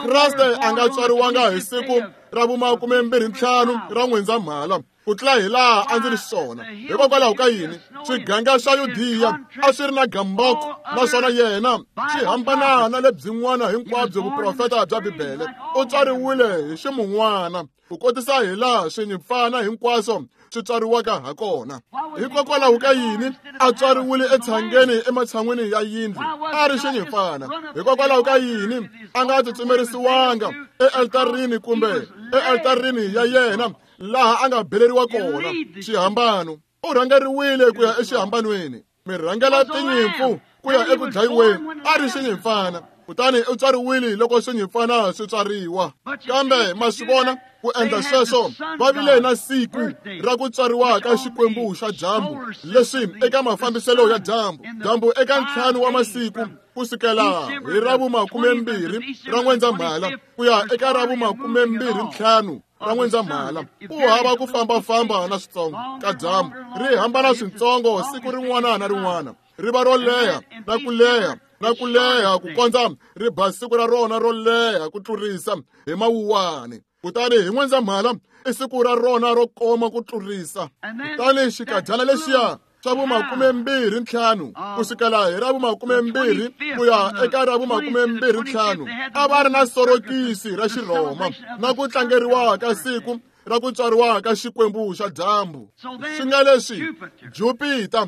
[SPEAKER 1] Kreste a nga tswariwanga hi siku ra vu-25 ra N'wendzamhala, ku tlula hi laha a ndzi ri xiswona. Hikokwalaho ka yini? Swiganga swa Yudiya a swi ri na gamboko, naswona yena swi hambana na lebyin'wana hinkwabyo vuprofeta bya Bibele. U tswariwile hi ximun'wana, ku kotisa hi laha swinyimpfana hinkwaswo swi tswariwaka ha kona. Hikokwalaho ka yini a tswariwile etshangeni ematshan'wini ya yindlu a ri xinyimpfana? Hikokwalaho ka yini a nga tsutsumerisiwanga ealtarini kumbe ealtarini ya yena laha a nga beleriwa kona xihambano? U rhangeriwile ku ya exihambanweni, mi rhangela tinyimpfu ku ya eku dlayiweni, a ri xinyimpfana. Kutani u tswariwile loko swinyimpfana swi tswariwa. Kambe ma swi vona, ku endla sweswo va vile na siku ra ku tswariwa ka xikwembu xa dyambu, leswi eka mafambiselo ya dyambu, dyambu eka 5 wa masiku ku sukela hi ra vu-20 ra N'wendzamhala ku ya eka ra vu-25 ra N'wendzamhala, ku hava ku fambafamba na switsongo ka dyambu, ri hambana switsongo siku rin'wana na rin'wana, ri va ro leha na ku leha na ku leha ku kondza ri ba siku ra rona ro leha ku tlurisa hi Mawuwani. Kutani hi N'wendzamhala i siku ra rona ro koma ku tlurisa. Kutani xikadyana lexiya xa vu-25 ku sukela hi ra vu-20 ku ya eka ra vu-25 a va ri na sorokisi ra Xirhoma na ku tlangeriwa ka siku ra ku tswariwa ka xikwembu xa dyambu, swi nga leswi Jupiter,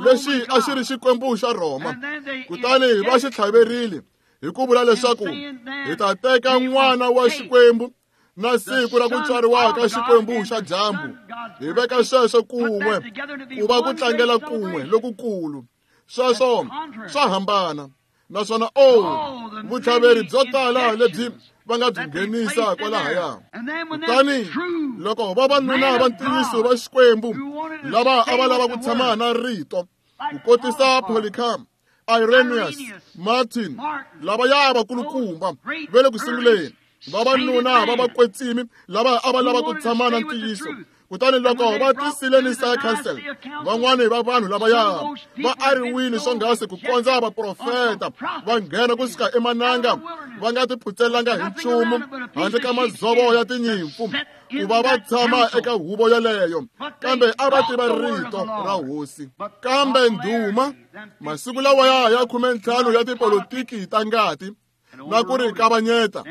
[SPEAKER 1] lexi a xi ri xikwembu xa Rhoma. Kutani va xi tlhaverile hi ku vula leswaku hi ta teka n'wana wa xikwembu na siku ra ku tswariwa ka xikwembu xa dyambu, hi veka sweswo kun'we ku va ku tlangela kun'we lokukulu. Sweswo swa hambana, naswona vutlhaveri byo tala lebyi va nga byi nghenisa kwalahaya. Kutani loko vavanuna va ntiyiso va Xikwembu lava a va lava ku tshama na rito, ku kotisa Polycarp, Irenaeus, Martin, lava ya vakulukumba va le ku sunguleni, vavanuna va vakwetsimi lava a va lava ku tshama na ntiyiso. Kutani loko va tisile Nisai Council, van'wani va vanhu lavaya va ariwile swonghasi ku kondza vaprofeta va nghena kusuka emananga, va nga tiputselanga hi nchumu handle ka madzovo ya tinyimpfu ku va va tshama eka huvo yeleyo, kambe a va tiva rito ra hosi. Kambe ndhuma masiku lawaya ya 15 ya tipolotiki ta ngati na ku ri kavanyeta,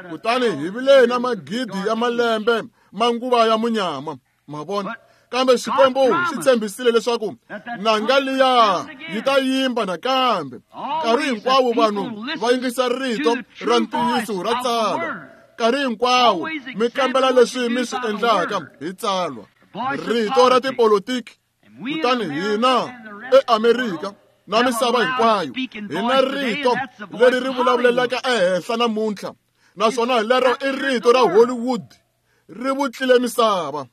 [SPEAKER 1] kutani hi vile na magidi ya malembe manguva ya munyama, ma vona. Kambe Xikwembu xi tshembisile leswaku nanga liya yi ta yimba nakambe. Nkarhi hinkwawo vanhu va yingisa rito ra ntiyiso ra tsalwa. Nkarhi hinkwawo mi kambela leswi mi swi endlaka hi tsalwa, rito ra tipolotiki. Kutani hina eAmerika na misava hinkwayo hi na rito leri ri vulavulelaka ehenhla namuntlha, naswona lero i rito ra Hollywood, ri vutlile misava.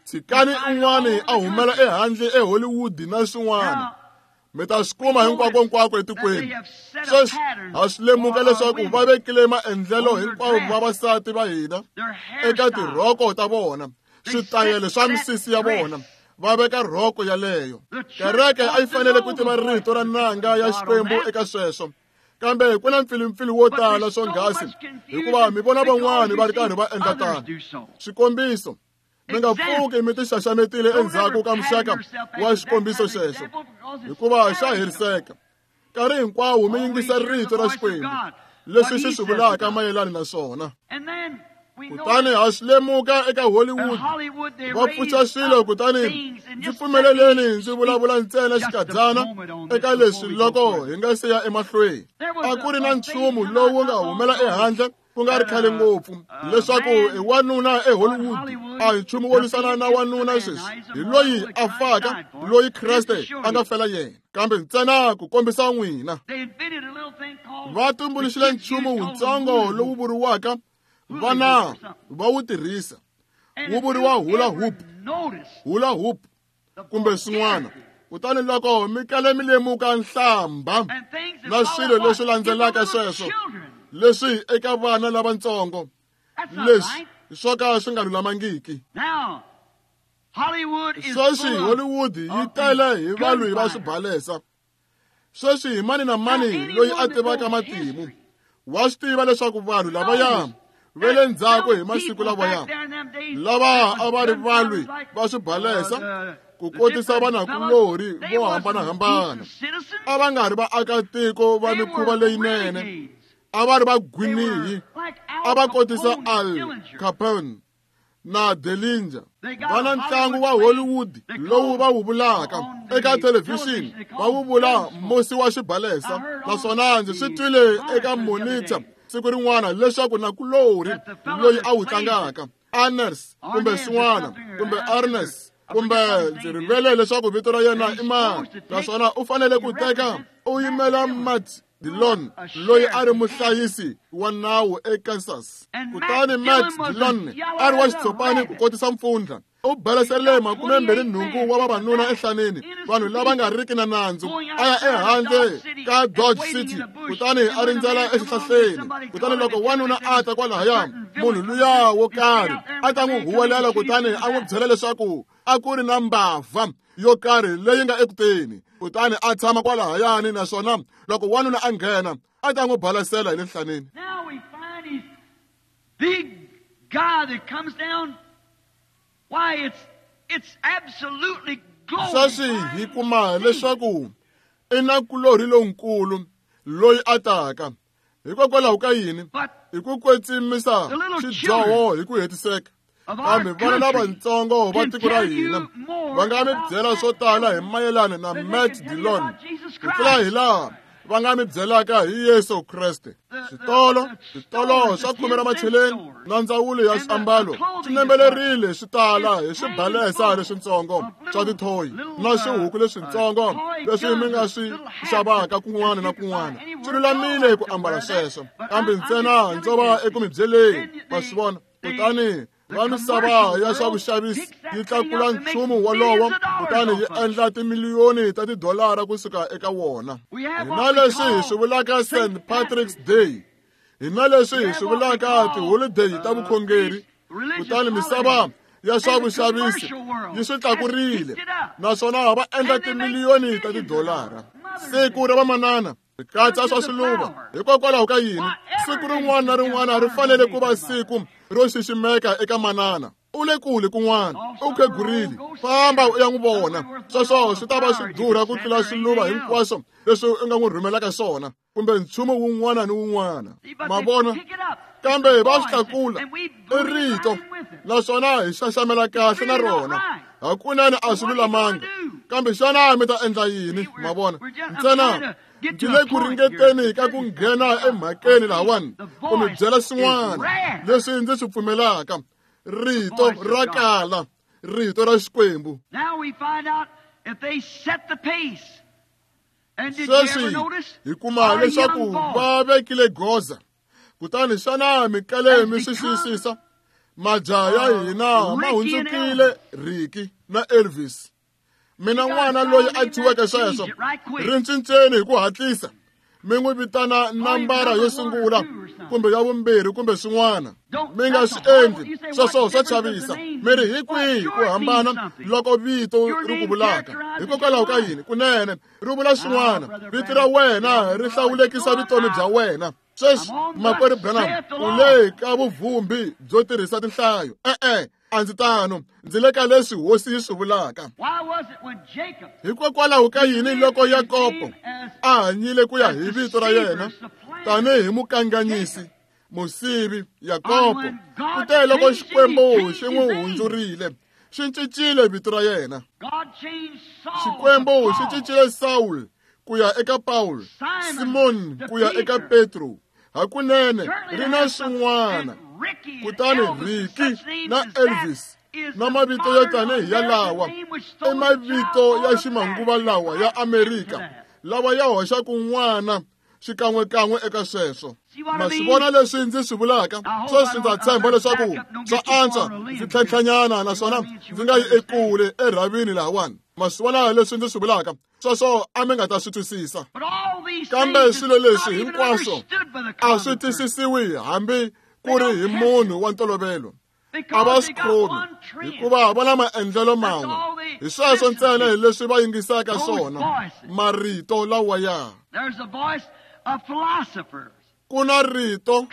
[SPEAKER 1] Tshikani un'wani a humela ehandle eHollywood na swin'wana, mi ta swi kuma hinkwako-nkwako etikweni. Sweswi ha swi lemuka leswaku va vekile maendlelo hinkwavo vavasati va hina eka tirhoko ta vona, switayele swa misisi ya vona, va veka rhoko yaleyo. Kereke a yi fanele ku tiva rito ra nanga ya Xikwembu eka sweswo, kambe ku na mpfilimpfili wo tala swonghasi hikuva mi vona van'wani va ri karhi va endla tano. Xikombiso, mi nga pfuki mi tixaxametile endzhaku ka muxaka wa xikombiso xexo, hikuva xa heriseka. Nkarhi hinkwawo mi yingisa rito ra Xikwembu leswi xi swi vulaka mayelana na swona. Kutani ha swi lemuka eka Hollywood va pfuxa swilo. Kutani ndzi pfumeleleni ndzi vulavula ntsena xikadyana eka leswi loko hi nga se ya emahlweni. A ku ri na nchumu lowu nga humela ehandle ku nga ri khale ngopfu leswaku i wanuna eHollywood a hi nchumu wo lwisana na wanuna sweswi hi loyi a faka loyi Kreste a nga fela yena kambe ntsena ku kombisa n'wina va tumbuluxile nchumu wutsongo lowu vuriwaka vana va wu tirhisa wu vuriwa hula hoop hula hoop kumbe swin'wana kutani loko mi kale mi lemuka nhlamba na swilo leswi landzelaka sweswo leswi eka vana lavatsongo leswi swo ka swi nga lulamangiki sweswi Hollywood yi tele hi valwi va swibalesa sweswi hi mani na mani loyi a tivaka matimu wa swi tiva leswaku vanhu lavaya va le ndzhaku hi masiku lawaya lava a va ri valwi va swibalesa ku kotisa vanakulorhi vo hambanahambana a va nga ri vaakatiko va mikhuva leyinene a va ri vagwinihi a va kotisa Al Capone na Dillinger va na ntlangu wa Hollywood lowu va wu vulaka eka thelevhixini va wu vula musi wa xibalesa naswona ndzi swi twile eka monitor siku rin'wana leswaku nakulorhi loyi a wu tlangaka Arnes kumbe swin'wana kumbe Arnes kumbe ndzi rivele leswaku vito ra yena i mani naswona u fanele ku teka u yimela Matt Dillon loyi a ri muhlayisi wa nawu eKansas kutani Matt Dillon a ri wa xitshopani ku kotisa mpfundla u baleserile 28 wa vavanuna ehlaneni vanhu lava nga riki na nandzu a ya ehandle ka Dodge City kutani a rindzela exihlahleni kutani loko wanuna a ta kwalahaya munhu luya wo karhi a ta n'wi huwelela kutani a n'wi byela leswaku a ku ri na mbavha yo karhi leyi nga ekuteni kutani a tshama kwalahayani naswona loko wanuna a nghena a ta n'wi balasela hi le nhlaneni sweswi hi kuma leswaku i nakulorhi lonkulu loyi a taka hikokwalaho ka yini hi ku kwetsimisa xidyoho hi ku hetiseka kambe vana lavatsongo va tiko ra hina va nga mi byela swo tala hi mayelana na Matt Dillon ku tlula hi laha va nga mi byelaka hi Yesu Kreste switolo switolo swa khume ra macheleni na ndzawulo ya swiambalo swi nembelerile swi tala hi swibalesa leswitsongo swa tithoyi na swihuku leswitsongo leswi mi nga swi xavaka kun'wana na kun'wana swi lulamile ku ambala sweswo kambe ntsena ndzo va eku mi byeleni ma swi vona kutani va misava ya swa vuxavisi yi tlakula nchumu wolowo kutani yi endla timiliyoni ta tidolara kusuka eka wona hi na leswi hi swi vulaka St Patrick's Day hi na leswi hi swi vulaka tiholideyi ta vukhongeri kutani misava ya swa vuxavisi yi swi tlakurile naswona va endla timiliyoni ta tidolara siku ra vamanana ri katsa swa swiluva hikokwalaho ka yini siku rin'wana na rin'wana ri fanele ku va siku ro xiximeka eka manana u le kule kun'wana u khegurile famba u ya n'wi vona sweswo swi ta va swi durha ku tlula swiluva hinkwaswo leswi u nga n'wi rhumelaka swona kumbe nchumu wun'wana ni wun'wana ma vona kambe va swi tlakula i rito naswona hi xaxamela kahle na rona hakunene a swi lulamanga kambe xana mi ta endla yini ma vona ntsena ndzi le ku ringeteni ka ku nghena emhakeni lahawani ku mi byela swin'wana leswi ndzi swi pfumelaka rito ra kala rito ra Xikwembu sweswi hi kuma leswaku va vekile goza kutani xana mi kale mi swi xiyisisa majaha ya hina ma hundzukile Ricky na Elvis mina n'wana loyi a thyiweke sweswo ri cinceni hi ku hatlisa mi n'wi vitana nambara yo sungula kumbe ya vumbirhi kumbe swin'wana mi nga swi endli sweswo swa chavisa mi ri hi kwihi ku hambana loko vito ri ku vulaka hikokwalaho ka yini kunene ri vula swin'wana vito ra wena ri hlawulekisa vutomi bya wena sweswi makwerhu Branham u le ka vuvhumbi byo tirhisa tinhlayo e-e a ndzi tano ndzi le ka leswi hosi yi swi vulaka hikokwalaho ka yini loko Yakobo a hanyile ku ya hi vito ra yena tanihi mukanganyisi musivi Yakobo kute loko Xikwembu xi n'wi hundzurile xi cincile vito ra yena Xikwembu xi cincile Saul ku ya eka Paul Simon ku ya eka Petro Hakunene ri na swin'wana. Kutani Ricky na Elvis na mavito yo tanihi yalawa i mavito ya ximanguva lawa ya Amerika lawa ya hoxaka n'wana xikan'wekan'we eka sweswo. Ma swi vona leswi ndzi swi vulaka? Sweswi ndza tshemba leswaku swa antswa ndzi tlhentlhanyana naswona ndzi nga yi ekule erhavini lahawani. Ma swi vona leswi ndzi swi vulaka? Sweswo a mi nga ta swi twisisa. Kambe swilo leswi hinkwaswo a swi twisisiwi hambi ku ri hi munhu wa ntolovelo. A va swi khomi hikuva va na maendlelo man'we. Hi sweswo ntsena hi leswi va yingisaka swona marito lawaya. Ku na rito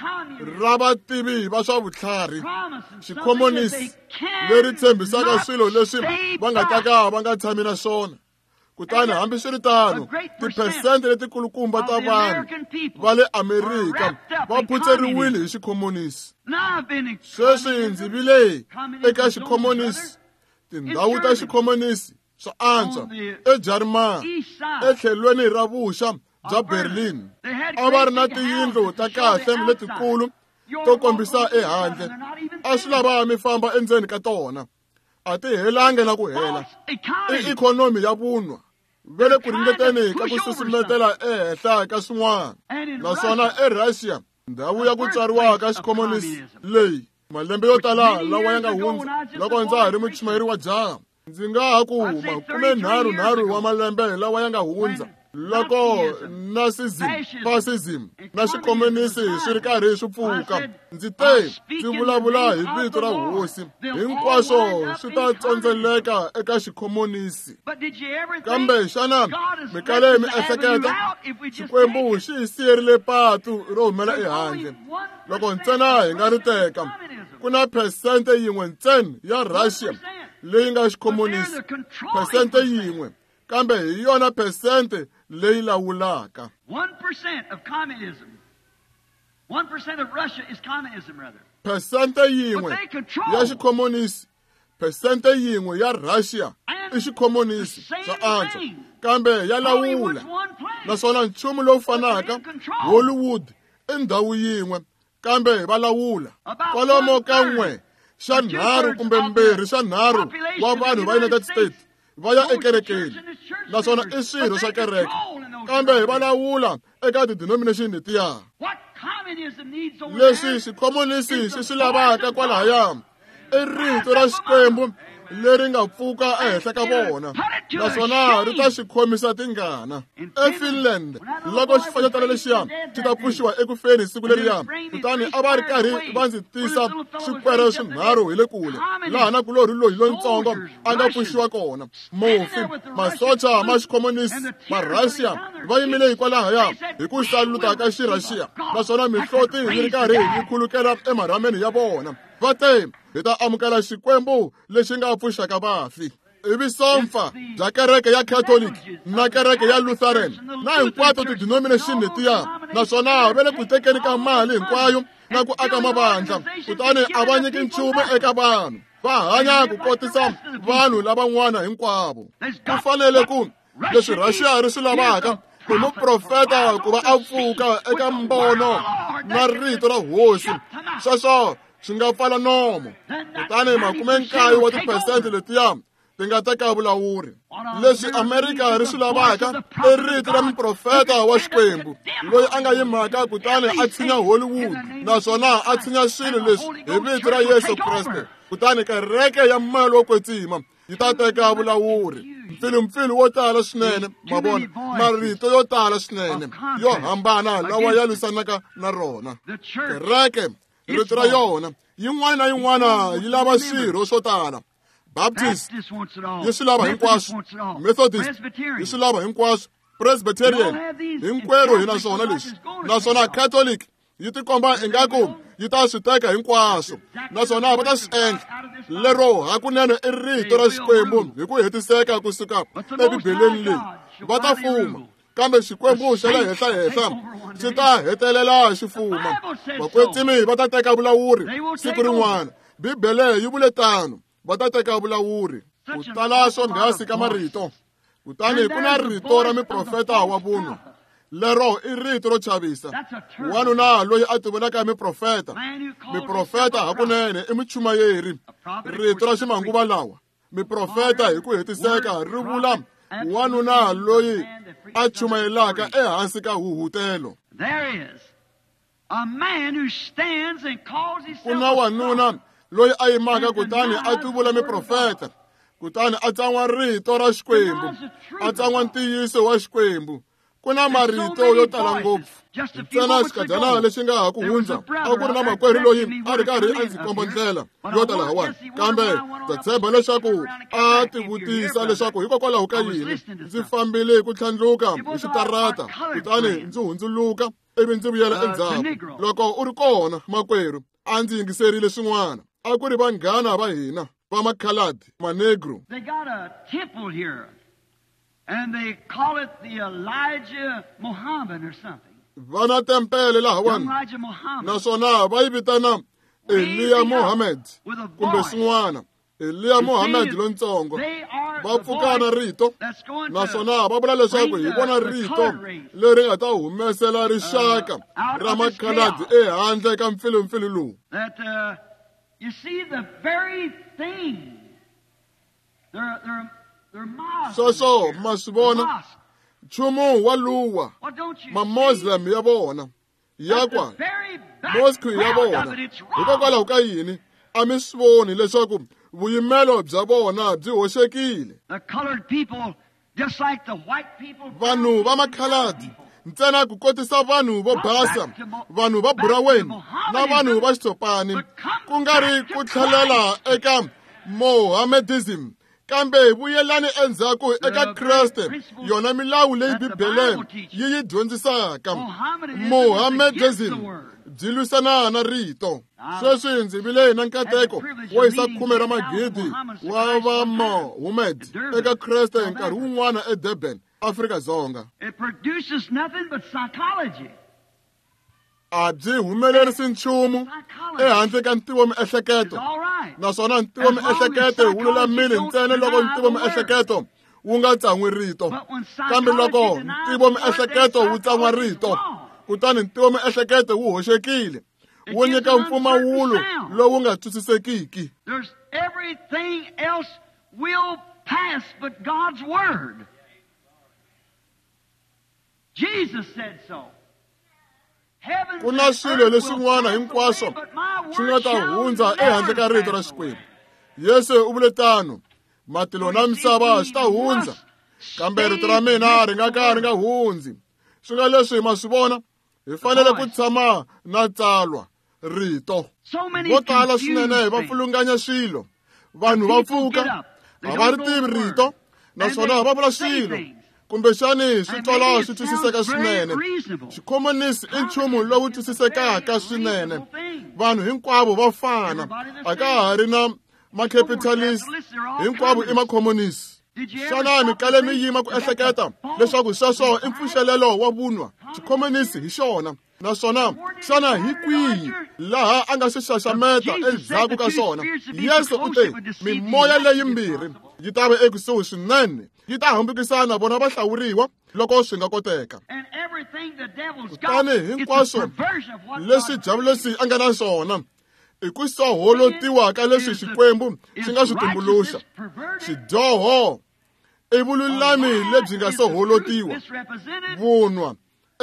[SPEAKER 1] ra vativi va swa vutlhari, xikhomonisi, leri tshembisaka swilo leswi va nga ta ka va nga tshami na swona. Kutani hambiswiritano, tiphesente letikulukumba ta vanhu va le Amerika va phutseriwile hi xikhomonisi. Sweswi ndzi vile eka xikhomonisi, tindhawu ta xikhomonisi swa antswa eJarimani, etlhelweni ra vuxa bya Berlin. A va ri na tiyindlu ta kahle letikulu to kombisa ehandle. A swi lava mi famba endzeni ka tona. A ti helangi na ku hela. I ikhonomi ya vunwa. Va le ku ringeteni ka ku susumetela ehenhla ka swin'wana. Naswona eRussia, ndhawu ya ku tswariwa ka xikhomonisi leyi malembe yo tala lawa ya nga hundza loko ndza ha ri muchumayeri wa jaha, ndzi nga ha ku 33 wa malembe lawa ya nga hundza loko Nazism, fascism na xikhomonisi swi ri karhi swi pfuka, ndzi te ndzi vulavula hi vito ra hosi, hinkwaswo swi ta tsondzeleka eka xikhomonisi. Kambe xana mi kale mi ehleketa? Xikwembu xi hi siyerile patu ro humela ehandle. Loko ntsena hi nga ri teka, ku na phesente yin'we ntsena ya Russia leyi nga xikhomonisi, phesente yin'we, kambe hi yona phesente leyi lawulaka.
[SPEAKER 2] 1% of communism. 1% of Russia is communism, rather.
[SPEAKER 1] Phesente yin'we ya xikhomonisi, phesente yin'we ya Russia i xikhomonisi swa antswa, kambe ya lawula. Naswona nchumu lowu fanaka, Hollywood i ndhawu yin'we, kambe va lawula. Kwalomo ka 1/3 kumbe 2/3 wa vanhu va United States va ya ekerekeni, naswona i swirho swa kereke, kambe va lawula eka ti-denomination letiya. Leswi xikhomonisi xi swi lavaka kwalahaya i rito ra Xikwembu leri nga pfuka ehenhla ka vona, naswona ri ta xi khomisa tingana. EFinland, loko xifanyetana lexiya xi ta pfuxiwa eku feni siku leriya, kutani a va ri karhi va ndzi tisa swikwere swinharhu hi le kule, laha na kulorhi loyi lontsongo a nga pfuxiwa kona. Mufi, masocha ma xikhomonisi ma Russia va yimile hikwalahaya hi ku saluta ka xirhaxiya, naswona mihloti yi ri karhi yi khulukela emarhameni ya vona. Va te, hi ta amukela Xikwembu lexi nga pfuxaka vafi. Ivi sompfa bya kereke ya Catholic na kereke ya Lutheran na hinkwato ti-denomination letiya, naswona va le ku tekeni ka mali hinkwayo na ku aka mavandla, kutani a va nyiki nchumu eka vanhu. Va hanya ku kotisa vanhu lavan'wana hinkwavo. Ku fanele ku leswi Russia ri swi lavaka i muprofeta ku va a pfuka eka mbono na rito ra hosi. Sweswo swi nga pfala nomo. Kutani 90 wa tiphesente letiya ti nga teka vulawuri. Leswi Amerika ri swi lavaka i rito ra muprofeta wa Xikwembu loyi a nga yimaka kutani a tshinya Hollywood, naswona a tshinya swilo leswi hi vito ra Yesu Kreste. Kutani kereke ya moya lowo kwetsima yi ta teka vulawuri. Mpfilumpfilu wo tala swinene, ma vona, marito yo tala swinene yo hambana lawa ya lwisanaka na rona. Kereke, rito ra yona yin'wana na yin'wana yi lava swirho swo tala. Baptist yi swi lava hinkwaswo, Methodist yi swi lava hinkwaswo, Presbyterian hinkwerhu hi na swona leswi, naswona Catholic yi tikomba ingaku yi ta swi teka hinkwaswo, naswona va ta swi endla. Lero hakunene i rito ra Xikwembu hi ku hetiseka kusuka eBibeleni leyi. Va ta fuma, kambe Xikwembu xa le henhla-henhla xi ta hetelela xi fuma. Vakwetsimi va ta teka vulawuri siku rin'wana. Bibele yi vule tano, va ta teka vulawuri. Ku tala swonghasi ka marito. Kutani ku na rito ra muprofeta wa vunwa. Lero i rito ro chavisa. Wanuna loyi a tivulaka miprofeta. Miprofeta hakunene i muchumayeri. Rito ra ximanguva lawa. Miprofeta hi ku hetiseka ri vula wanuna loyi a chumayelaka ehansi ka huhutelo. Ku na wanuna loyi a yimaka kutani a tivula miprofeta, kutani a tsan'wa rito ra Xikwembu, a tsan'wa ntiyiso wa Xikwembu. Ku na marito yo tala ngopfu. Ntsena xikadyana lexi nga ha ku hundza a ku ri na makwerhu loyi a ri karhi a ndzi komba ndlela yo tala hawani, kambe ndza tshemba leswaku a tivutisa leswaku hikokwalaho ka yini ndzi fambile ku tlhandluka hi xitarata kutani ndzi hundzuluka ivi ndzi vuyela endzhaku. Loko u ri kona makwerhu, a ndzi yingiserile swin'wana. A ku ri vanghana va hina va makhaladi manegro.
[SPEAKER 2] They got a temple here, and they call it the Elijah Muhammad or something.
[SPEAKER 1] Va na tempele lahawani, naswona va yi vitana Eliya Muhammad kumbe swin'wana. Eliya Muhammad lontsongo. Va pfuka na rito, naswona va vula leswaku hi vona rito leri nga ta humesela rixaka ra makhaladi ehandle ka mpfilumpfilu lowu.
[SPEAKER 2] You see the very thing. They're
[SPEAKER 1] Sweswo ma swi vona nchumu wa luwa ma-Muslim ya vona ya kwa mosque ya vona. Hikokwalaho ka yini a mi swi voni leswaku vuyimelo bya vona byi hoxekile? Vanhu va makhaladi ntsena ku kotisa vanhu vo basa, vanhu va buraweni na vanhu va xitsopani, ku nga ri ku tlhelela eka Mohammedism, kambe vuyelani endzhaku eka Kreste, yona milawu leyi Bibele yi yi dyondzisaka. Mohammedism byi lwisana na rito. Sweswi ndzi vile na nkateko wo yisa 10 ra magidi wa va Mohammed eka Kreste nkarhi wun'wana eDurban, Afrika Dzonga.
[SPEAKER 2] It produces nothing but psychology.
[SPEAKER 1] A byi humelerisi nchumu ehandle ka ntivomiehleketo, naswona ntivomiehleketo wu lulamile ntsena loko ntivomiehleketo wu nga tsan'wi rito. Kambe loko ntivomiehleketo wu tsan'wa rito, kutani ntivomiehleketo wu hoxekile, wu nyika mpfumawulo lowu nga twisisekiki.
[SPEAKER 2] There's everything else will pass but God's word. Jesus said so.
[SPEAKER 1] Ku na swilo leswin'wana hinkwaswo swi nga ta hundza ehandle ka rito ra Xikwembu. Yesu u vule tano, matilo na misava swi ta hundza, kambe rito ra mina ri nga ka ri nga hundzi. Swi nga leswi ma swi vona, hi fanele ku tshama na tsalwa rito. Vo tala swinene va pfulunganya swilo. Vanhu va pfuka, a va ri tivi rito, naswona va vula swilo kumbexani swi twala swi twisiseka swinene. Xikhomonisi i nchumu lowu twisisekaka swinene. Vanhu hinkwavo va fana, a ka ha ri na macapitalist, hinkwavo i makhomonisi. Xana mi kale mi yima ku ehleketa leswaku sweswo i mpfuxelelo wa vunwa? Xikhomonisi hi xona. Naswona xana hi kwihi laha a nga swi xaxameta endzhaku ka swona? Yesu u te mimoya leyimbirhi yi ta va ekusuhi swinene, yi ta hambukisana vona va hlawuriwa loko swi nga koteka. Kutani hinkwaswo leswi Diavulosi a nga na swona i ku soholotiwa ka leswi Xikwembu xi nga swi tumbuluxa. Xidyoho i vululami lebyi nga soholotiwa, vunwa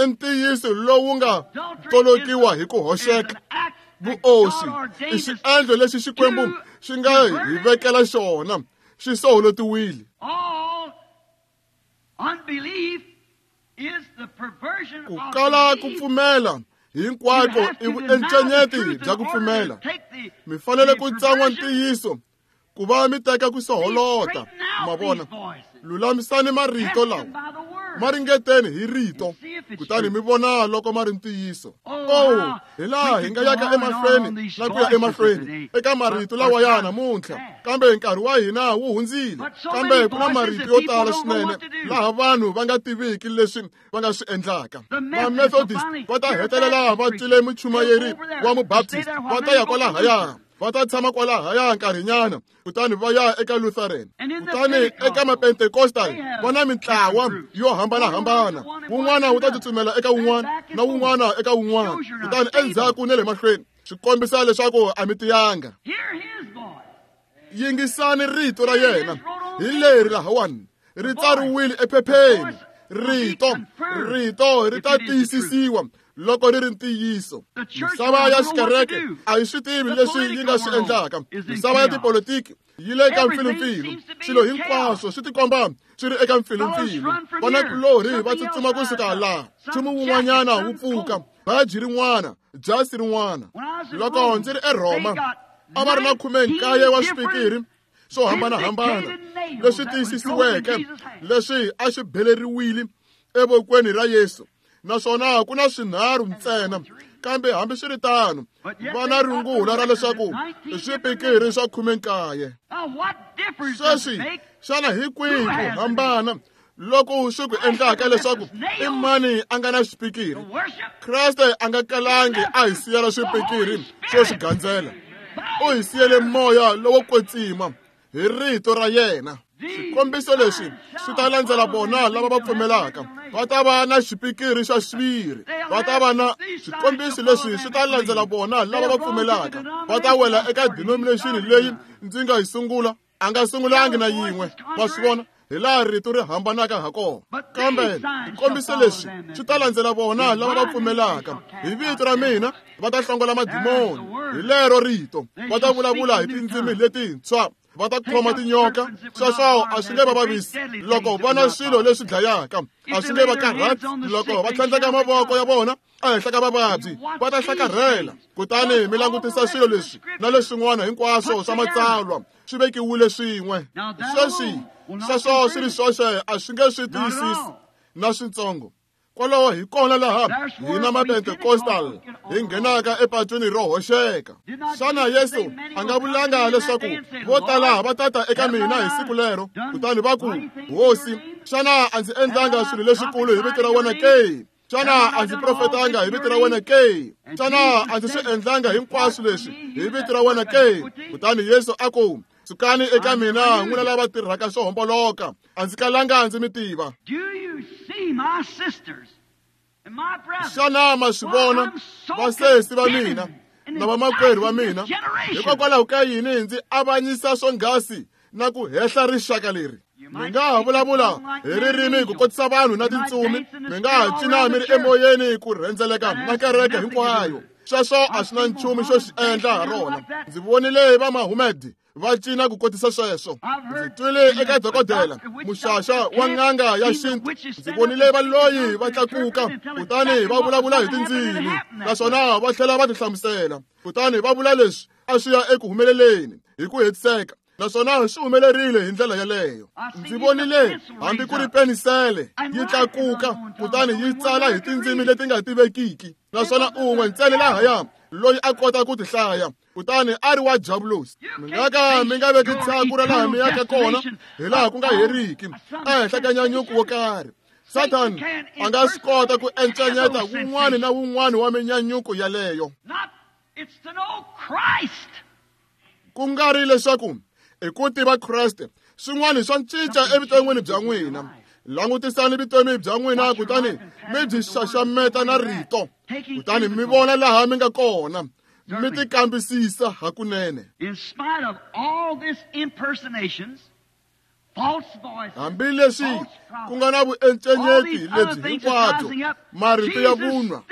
[SPEAKER 1] i ntiyiso lowu nga tolokiwa hi ku hoxeka. Vuoswi i xiendlo lexi Xikwembu xi nga hi vekela xona, xi soholotiwile. Ku kala ku pfumela hinkwako i vuencenyeti bya ku pfumela. Mi fanele ku tsan'wa ntiyiso ku va mi teka ku soholota. Ma vona, lulamisani marito lawa, ma ringeteni hi rito, kutani mi vona loko ma ri ntiyiso. Oh, hi laha hi nga yaka emahlweni na ku ya emahlweni eka marito lawa ya namuntlha, kambe nkarhi wa hina wu hundzile. Kambe ku na marito yo tala swinene laha vanhu va nga tiviki leswi va nga swi endlaka. Va-Methodist va ta hetelela va twile muchumayeri wa Mubaptist, va ta ya kwalahaya. Va ta tshama kwalahaya nkarhinyana, kutani va ya eka Lutheran. Kutani eka Mapentekostal va na mintlawa yo hambanahambana. Wun'wana wu ta tsutsumela eka wun'wana na wun'wana eka wun'wana, kutani endzhaku na le mahlweni. Swi kombisa leswaku a mi tiyanga. Yingisani rito ra yena hi leri lahawani ri tsariwile ephepheni. Rito ri ta tiyisisiwa loko ri ri ntiyiso. Misava ya xikereke a yi swi tivi leswi yi nga swi endlaka. Misava ya tipolotiki yi le ka mpfilumpfilu. Swilo hinkwaswo swi tikomba swi ri eka mpfilumpfilu. Vanakulorhi va tsutsuma kusuka laha, nchumu wun'wanyana wu pfuka, baji rin'wana, jasi rin'wana. Loko ndzi ri eRhoma, a va ri na 19 wa swipikiri swo hambanahambana leswi tiyisisiweke leswi a swi beleriwile evokweni ra Yesu, naswona ku na swinharhu ntsena. Kambe hambiswiritano va na rungula ra leswaku i swipikiri swa 19. Sweswi xana hi kwihi ku hambana loko swi ku endlaka leswaku i mani a nga na xipikiri? Kreste a nga kalangi a hi siyela swipikiri swo swi gandzela. U hi siyele moya lowo kwetsima hi rito ra yena. Swikombiso leswi swi ta landzela vona lava va pfumelaka. Va ta va na xipikiri xa xiviri. Va ta va na swikombiso leswi swi ta landzela vona lava va pfumelaka. Va ta wela eka denomination leyi ndzi nga yi sungula. A nga sungulangi na yin'we. Va swi vona hi laha rito ri hambanaka ha kona. Kambe swikombiso leswi swi ta landzela vona lava va pfumelaka. Hi vito ra mina va ta hlongola madimoni. Hi lero rito va ta vulavula hi tindzimi letintshwa. Va ta khoma tinyoka. Sweswo a swi nge va vavisi loko va na swilo leswi dlayaka. A swi nge va karhati loko va tlhandleka mavoko ya vona ehenhla ka vavabyi. Va ta hlakarhela. Kutani mi langutisa swilo leswi na leswin'wana hinkwaswo swa matsalwa swi vekiwile swin'we. Sweswi sweswo swi ri swoxe a swi nge swi tiyisisi na switsongo. Kwalaho hi kona laha hina Mapentekostal hi nghenaka epatwini ro hoxeka. Xana Yesu a nga vulanga leswaku vo tala va tata eka mina hi siku lero, kutani va ku, Hosi, xana a ndzi endlanga swilo leswikulu hi vito ra wena ke? Xana a ndzi profetanga hi vito ra wena ke? Xana a ndzi swi endlanga hinkwaswo leswi hi vito ra wena ke? Kutani Yesu a ku, sukani eka mina n'wina lava tirhaka swo homboloka, a ndzi kalanga ndzi mi tiva. Xana ma swi vona vasesi va mina na vamakwerhu va mina? Hikokwalaho ka yini ndzi avanyisa swonghasi na ku hehla rixaka leri? Mi nga ha vulavula hi ririmi ku kotisa vanhu na tintsumi, mi nga ha cina mi ri emoyeni ku rhendzeleka na kereke hinkwayo. Sweswo a swi na nchumu xo xi endla ha rona. Ndzi vonile va Mahomed va cina ku kotisa sweswo. Ndzi twile eka dokodela muxaxa wa n'anga ya xintu. Ndzi vonile valoyi va tlakuka kutani va vulavula hi tindzimi, naswona va tlhela va tihlamusela. Kutani va vula leswi a swi ya eku humeleleni hi ku hetiseka, naswona swi humelerile hi ndlela yaleyo. Ndzi vonile hambi ku ri penisele yi tlakuka kutani yi tsala hi tindzimi leti nga tivekiki, naswona un'we ntsena lahaya loyi a kota ku ti hlaya, kutani a ri wa Diabulosi. Mi nga ka mi nga veki tshaku ra laha mi yaka kona hi laha ku nga heriki ehenhla ka nyanyuko wo karhi. Satan a nga swi kota ku encanyeta wun'wana na wun'wana wa minyanyuko yaleyo. Ku nga ri leswaku i ku tiva Kreste, swin'wana swa cinca evuton'wini bya n'wina. Langutisani vutomi bya n'wina kutani mi byi xaxameta na rito, kutani mi vona laha mi nga kona, mi tikambisisa hakunene. Hambileswi ku nga na vuencenyeti lebyi hinkwabyo, marito ya vunwa,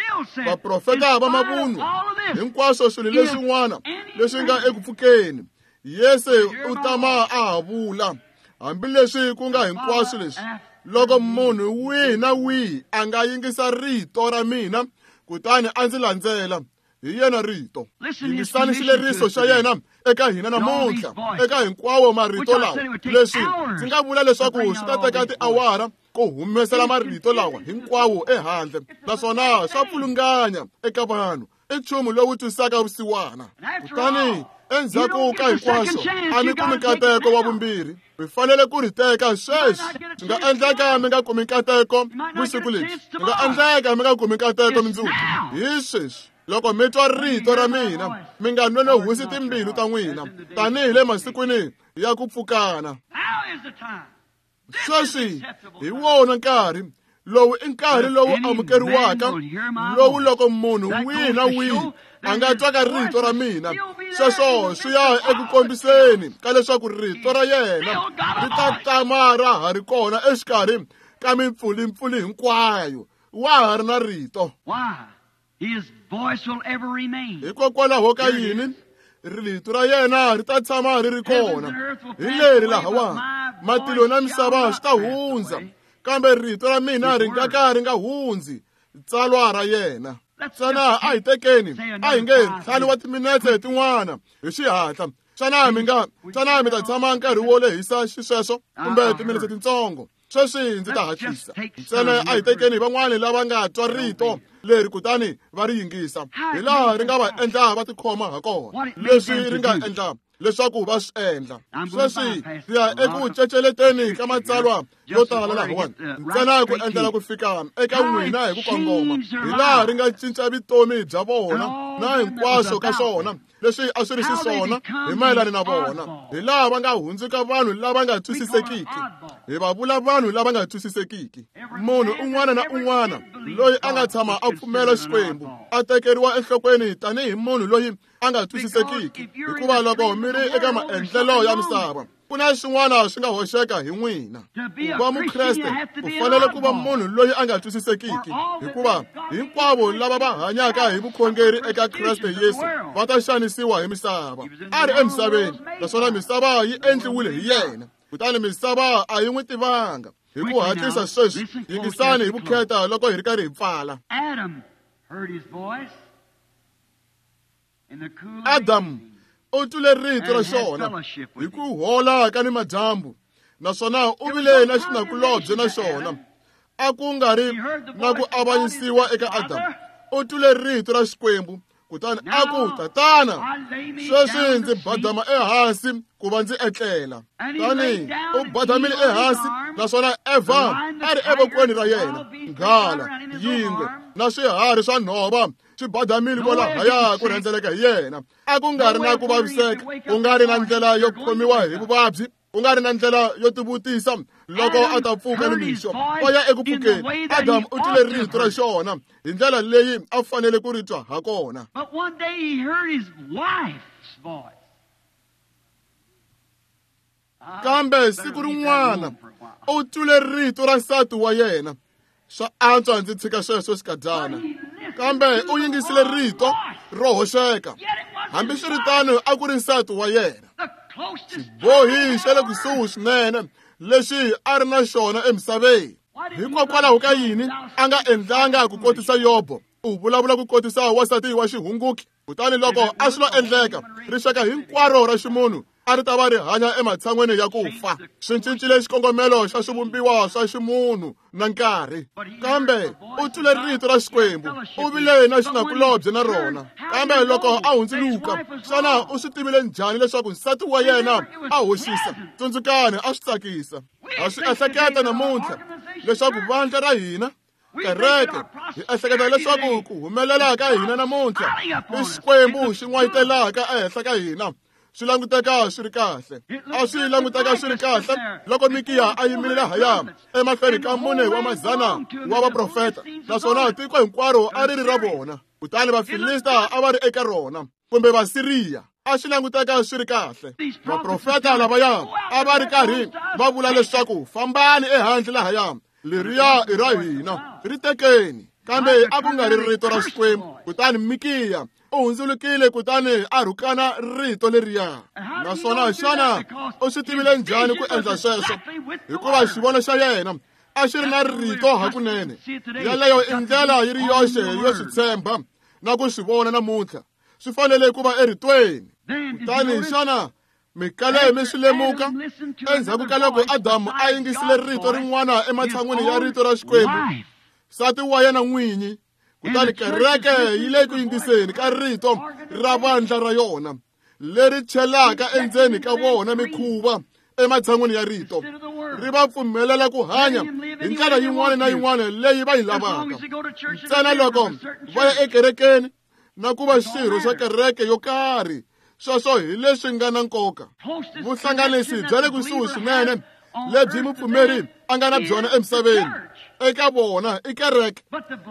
[SPEAKER 1] vaprofeta va mavunwa, hinkwaswo swilo leswin'wana leswi nga eku pfukeni, Yesu u tama a ha vula. Hambileswi ku nga hinkwaswo leswi, loko munhu wihi na wihi a nga yingisa rito ra mina kutani a ndzi landzela, hi yena rito. Yingisani xileriso xa yena eka hina namuntlha, eka hinkwawo marito lawa. Leswi ndzi nga vula leswaku swi ta teka tiawara ku humesela marito lawa hinkwawo ehandle, naswona swa pfulunganya eka vanhu. I nchumu lowu twisaka vusiwana. Kutani endzhaku ka hinkwaswo a mi kumi nkateko wa vumbirhi. Mi fanele ku ri teka sweswi. Swi nga endleka mi nga kumi nkateko vusiku lebyi, swi nga endleka mi nga kumi nkateko mundzuku. Hi sweswi. Loko mi twa rito ra mina, mi nga nonohisi timbilu ta n'wina, tanihi le masikwini ya ku pfukana. Sweswi hi wona nkarhi lowu i nkarhi lowu amukeriwaka, lowu loko munhu wihi na wihi a nga twaka rito ra mina, sweswo swi ya eku kombiseni ka leswaku rito ra yena ri ta tama ra ha ri kona exikarhi ka mimpfulimpfuli hinkwayo. Wa ha ri na rito. Hikokwalaho ka yini rito ra yena ri ta tshama ri ri kona? Hi leri lahawa, matilo na misava swi ta hundza, kambe rito ra mina ri nga ka ri nga hundzi. Tsalwa ra yena. Xana a hi tekeni, a hi nge ntlhanu wa timinetse tin'wana hi xihatla. Xana mi ta tshama nkarhi wo lehisa xisweswo kumbe timinetse tintsongo? Sweswi ndzi ta hatlisa. Ntsena a hi tekeni van'wani lava nga twa rito leri kutani va ri yingisa, hi laha ri nga va endla va tikhoma ha kona, leswi ri nga endla leswaku va swi endla. Sweswi hi ya eku ceceleteni ka matsalwa yo tala lahawani, ntsena ku endlela ku fika eka n'wina hi ku kongoma, hi laha ri nga cinca vutomi bya vona na hinkwaswo ka swona leswi a swi ri xiswona hi mayelana na vona, hi laha va nga hundzuka vanhu lava nga twisisekiki. Hi va vula vanhu lava nga twisisekiki. Munhu un'wana na un'wana loyi a nga tshama a pfumela Xikwembu a tekeriwa enhlokweni tanihi munhu loyi a nga twisisekiki, hikuva loko mi ri eka maendlelo ya misava, ku na xin'wana swi nga hoxeka hi n'wina. Ku va Mukreste u fanele ku va munhu loyi a nga twisisekiki, hikuva hinkwavo lava va hanyaka hi vukhongeri eka Kreste Yesu va ta xanisiwa hi misava. A ri emisaveni, naswona misava yi endliwile hi yena, kutani misava a yi n'wi tivanga. Hi ku hatlisa sweswi, yingisani hi vukheta loko hi ri karhi hi pfala. Adamu u twile rito ra xona hi ku hola ka ni madyambu, naswona u vile na xinakulobye na xona. A ku nga ri na ku avanyisiwa eka Adamu. U twile rito ra Xikwembu, kutani a ku, Tatana, sweswi ndzi badama ehansi ku va ndzi etlela. Tani u badamile ehansi, naswona Eva a ri evokweni ra yena, nghala, yingwe na swiharhi swa nhova swi badamile kwalahaya ku rhendzeleka hi yena. A ku nga ri na ku vaviseka, ku nga ri na ndlela yo khomiwa hi vuvabyi, ku nga ri na ndlela yo tivutisa loko a ta pfuka nimixo. Va ya eku pfukeni, Adamu u twile rito ra xona hi ndlela leyi a fanele ku ri twa ha kona. Kambe siku rin'wana u twile rito ra nsati wa yena. Swa antswa ndzi tshika sweswo xikadyana. Kambe u yingisile rito ro hoxeka. Hambiswiritano a ku ri nsati wa yena. Xibohi xa le kusuhi swinene lexi a ri na xona emisaveni. Hikokwalaho ka yini a nga endlanga ku kotisa Yobo? U vulavula ku kotisa wansati wa xihunguki. Kutani loko a swi lo endleka, rixaka hinkwaro ra ximunhu a ri ta va ri hanya ematshan'weni ya ku fa. Swi cincile xikongomelo xa swivumbiwa swa ximunhu na nkarhi. Kambe u twile rito ra Xikwembu, u vile na xinakulobye na rona. Kambe loko a hundzuluka, xana u swi tivile njhani leswaku nsati wa yena a hoxisa? Tsundzukani, a swi tsakisa. Ha swi ehleketa namuntlha leswaku vandla ra hina, kereke, hi ehleketa leswaku ku humelela ka hina namuntlha i Xikwembu xi n'wayitelaka ehenhla ka hina. Swi languteka swi ri kahle. A swi languteka swi ri kahle loko Mikiya a yimile lahaya emahlweni ka 400 wa vaprofeta, naswona tiko hinkwaro a ri ri ra vona. Kutani Vafilista a va ri eka rona, kumbe Vasiriya. A swi languteka swi ri kahle. Vaprofeta lavaya a va ri karhi va vula leswaku fambani ehandle lahaya, leriya i ra hina, ri tekeni. Kambe a ku nga ri rito ra Xikwembu. Kutani Mikiya u hundzulukile kutani a rhukana rito leriya. Naswona xana u swi tivile njhani ku endla sweswo? Hikuva xivono xa yena a xi ri na rito hakunene. Yaleyo i ndlela yi ri yoxe yo swi tshemba na ku swi vona namuntlha. Swi fanele ku va eritweni. Kutani xana mi kale mi swi lemuka endzhaku ka loko Adamu a yingisile rito rin'wana ematshan'wini ya rito ra Xikwembu, nsati wa yena n'winyi, kutani kereke yi le ku yingiseni ka rito ra vandla ra yona leri chelaka endzeni ka vona mikhuva ematshan'wini ya rito, ri va pfumelela ku hanya hi ndlela yin'wana na yin'wana leyi va yi lavaka, ntsena loko va ya ekerekeni na ku va xirho xa kereke yo karhi. Sweswo hi leswi nga na nkoka. Vuhlanganisi bya le kusuhi swinene lebyi mupfumeri a nga na byona emisaveni eka vona i kereke,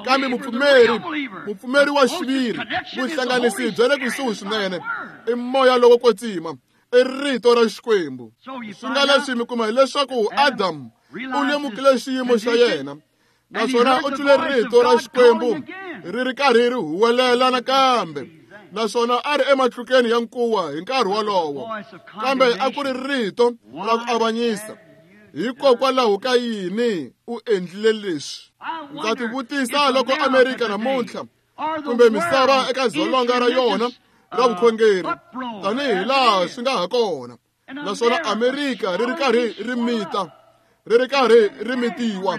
[SPEAKER 1] kambe mupfumeri wa xiviri, vuhlanganisi bya le kusuhi swinene i moya lowo kwetsima, i rito ra Xikwembu. Swi nga leswi mi kuma hileswaku Adamu u lemukile xiyimo xa yena, naswona u twile rito ra Xikwembu ri ri karhi ri huwelela nakambe, naswona a ri ematlukeni ya nkuwa hi nkarhi wolowo, kambe a ku ri rito ra ku avanyisa. Hikokwalaho ka yini u endlile leswi? Ndza tivutisa loko Amerika namuntlha kumbe misava eka dzolonga ra yona ra vukhongeri tanihi laha swi nga ha kona, naswona Amerika ri ri karhi ri mita, ri ri karhi ri mitiwa,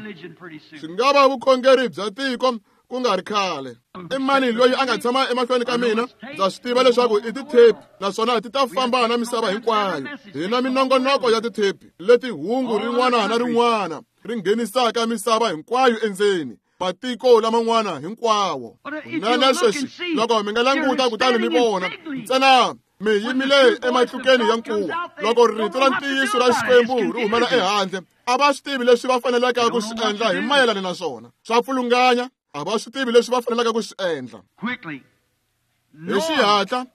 [SPEAKER 1] swi nga va vukhongeri bya tiko ku nga ri khale. I mani loyi a nga tshama emahlweni ka mina? Ndza swi tiva leswaku i tithepi, naswona ti ta famba na misava hinkwayo. Hi na minongonoko ya tithepi leti hungu rin'wana na rin'wana ri nghenisaka misava hinkwayo endzeni, matiko laman'wana hinkwawo. Kunene sweswi loko mi nga languta kutani mi vona ntsena mi yimile ematlukeni ya nkuwa, loko rito ra ntiyiso ra Xikwembu ri humela ehandle, a va swi tivi leswi va faneleke ku swi endla hi mayelana na swona. Swa pfulunganya, a va swi tivi leswi va faneleke ku swi endla. Hi xihatla,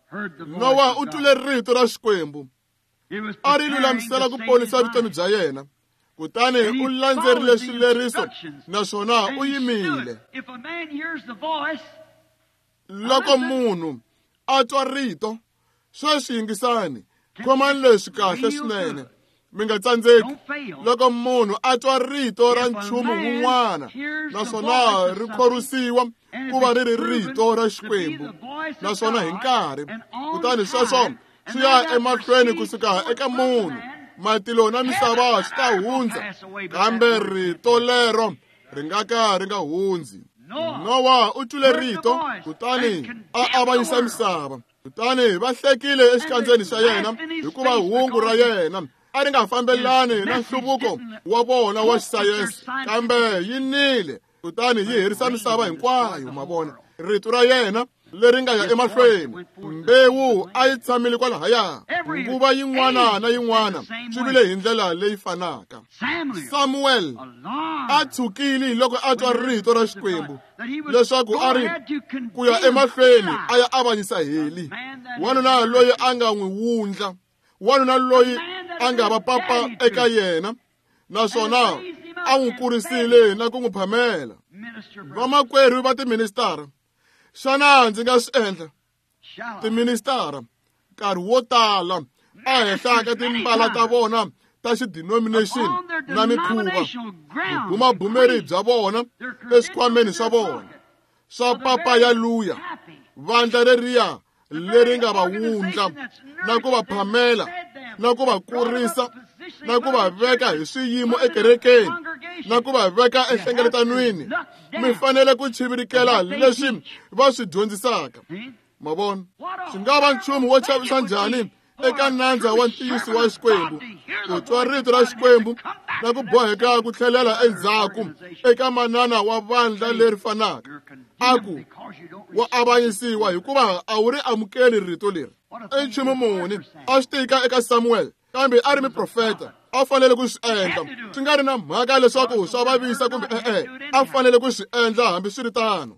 [SPEAKER 1] Nowa u twile rito ra Xikwembu, a ri lulamisela ku ponisa vutomi bya yena, kutani u landzerile swileriso naswona u yimile. Loko munhu a twa rito, sweswi yingisani, khomani leswi kahle swinene, mi nga tsandzeki. Loko munhu a twa rito ra nchumu wun'wana naswona ri khorwisiwa ku va ri ri rito ra Xikwembu, naswona hi nkarhi, kutani sweswo swi ya emahlweni kusuka eka munhu, matilo na misava swi ta hundza, kambe rito lero ri nga ka ri nga hundzi. Nowa u twile rito, kutani a avanyisa misava. Kutani va hlekile exikandzeni xa yena hikuva hungu ra yena a ri nga fambelani na nhluvuko wa vona wa xisayense, kambe yi nile kutani yi herisa misava hinkwayo. Ma vona, rito ra yena leri nga ya emahlweni, mbewu a yi tshamile kwalahaya nguva yin'wana na yin'wana, swi vile hi ndlela leyi fanaka. Samuel a tshukile loko a twa rito ra Xikwembu leswaku a ri ku ya emahlweni a ya avanyisa Heli, wanuna loyi a nga n'wi wundla, wanuna loyi a nga va papa eka yena, naswona a n'wi kurisile na ku n'wi phamela. Vamakwerhu va tiministara, xana ndzi nga swi endla? Tiministara nkarhi wo tala a henhla ka timbala ta vona ta xidenomination na mikhuva, vubumabumeri bya vona eswikhwameni swa vona swa papa ya luya, vandla leriya leri nga va wundla na ku va phamela na ku va kurisa na ku va veka hi swiyimo ekerekeni na ku va veka enhlengeletanweni, mi fanele ku chivirikela leswi va swi dyondzisaka. Ma vona, swi nga va nchumu wo chavisa njhani eka nandza wa ntiyiso wa Xikwembu ku twa rito ra Xikwembu na ku boheka ku tlhelela endzhaku eka manana wa vandla leri fanaka, a ku wa avanyisiwa hikuva a wu ri amukeli rito leri. I nchumu muni a swi tika eka Samuel, kambe a ri muprofeta, a fanele ku swi endla, swi nga ri na mhaka leswaku swa vavisa kumbe e-e, a fanele ku swi endla hambiswiritano.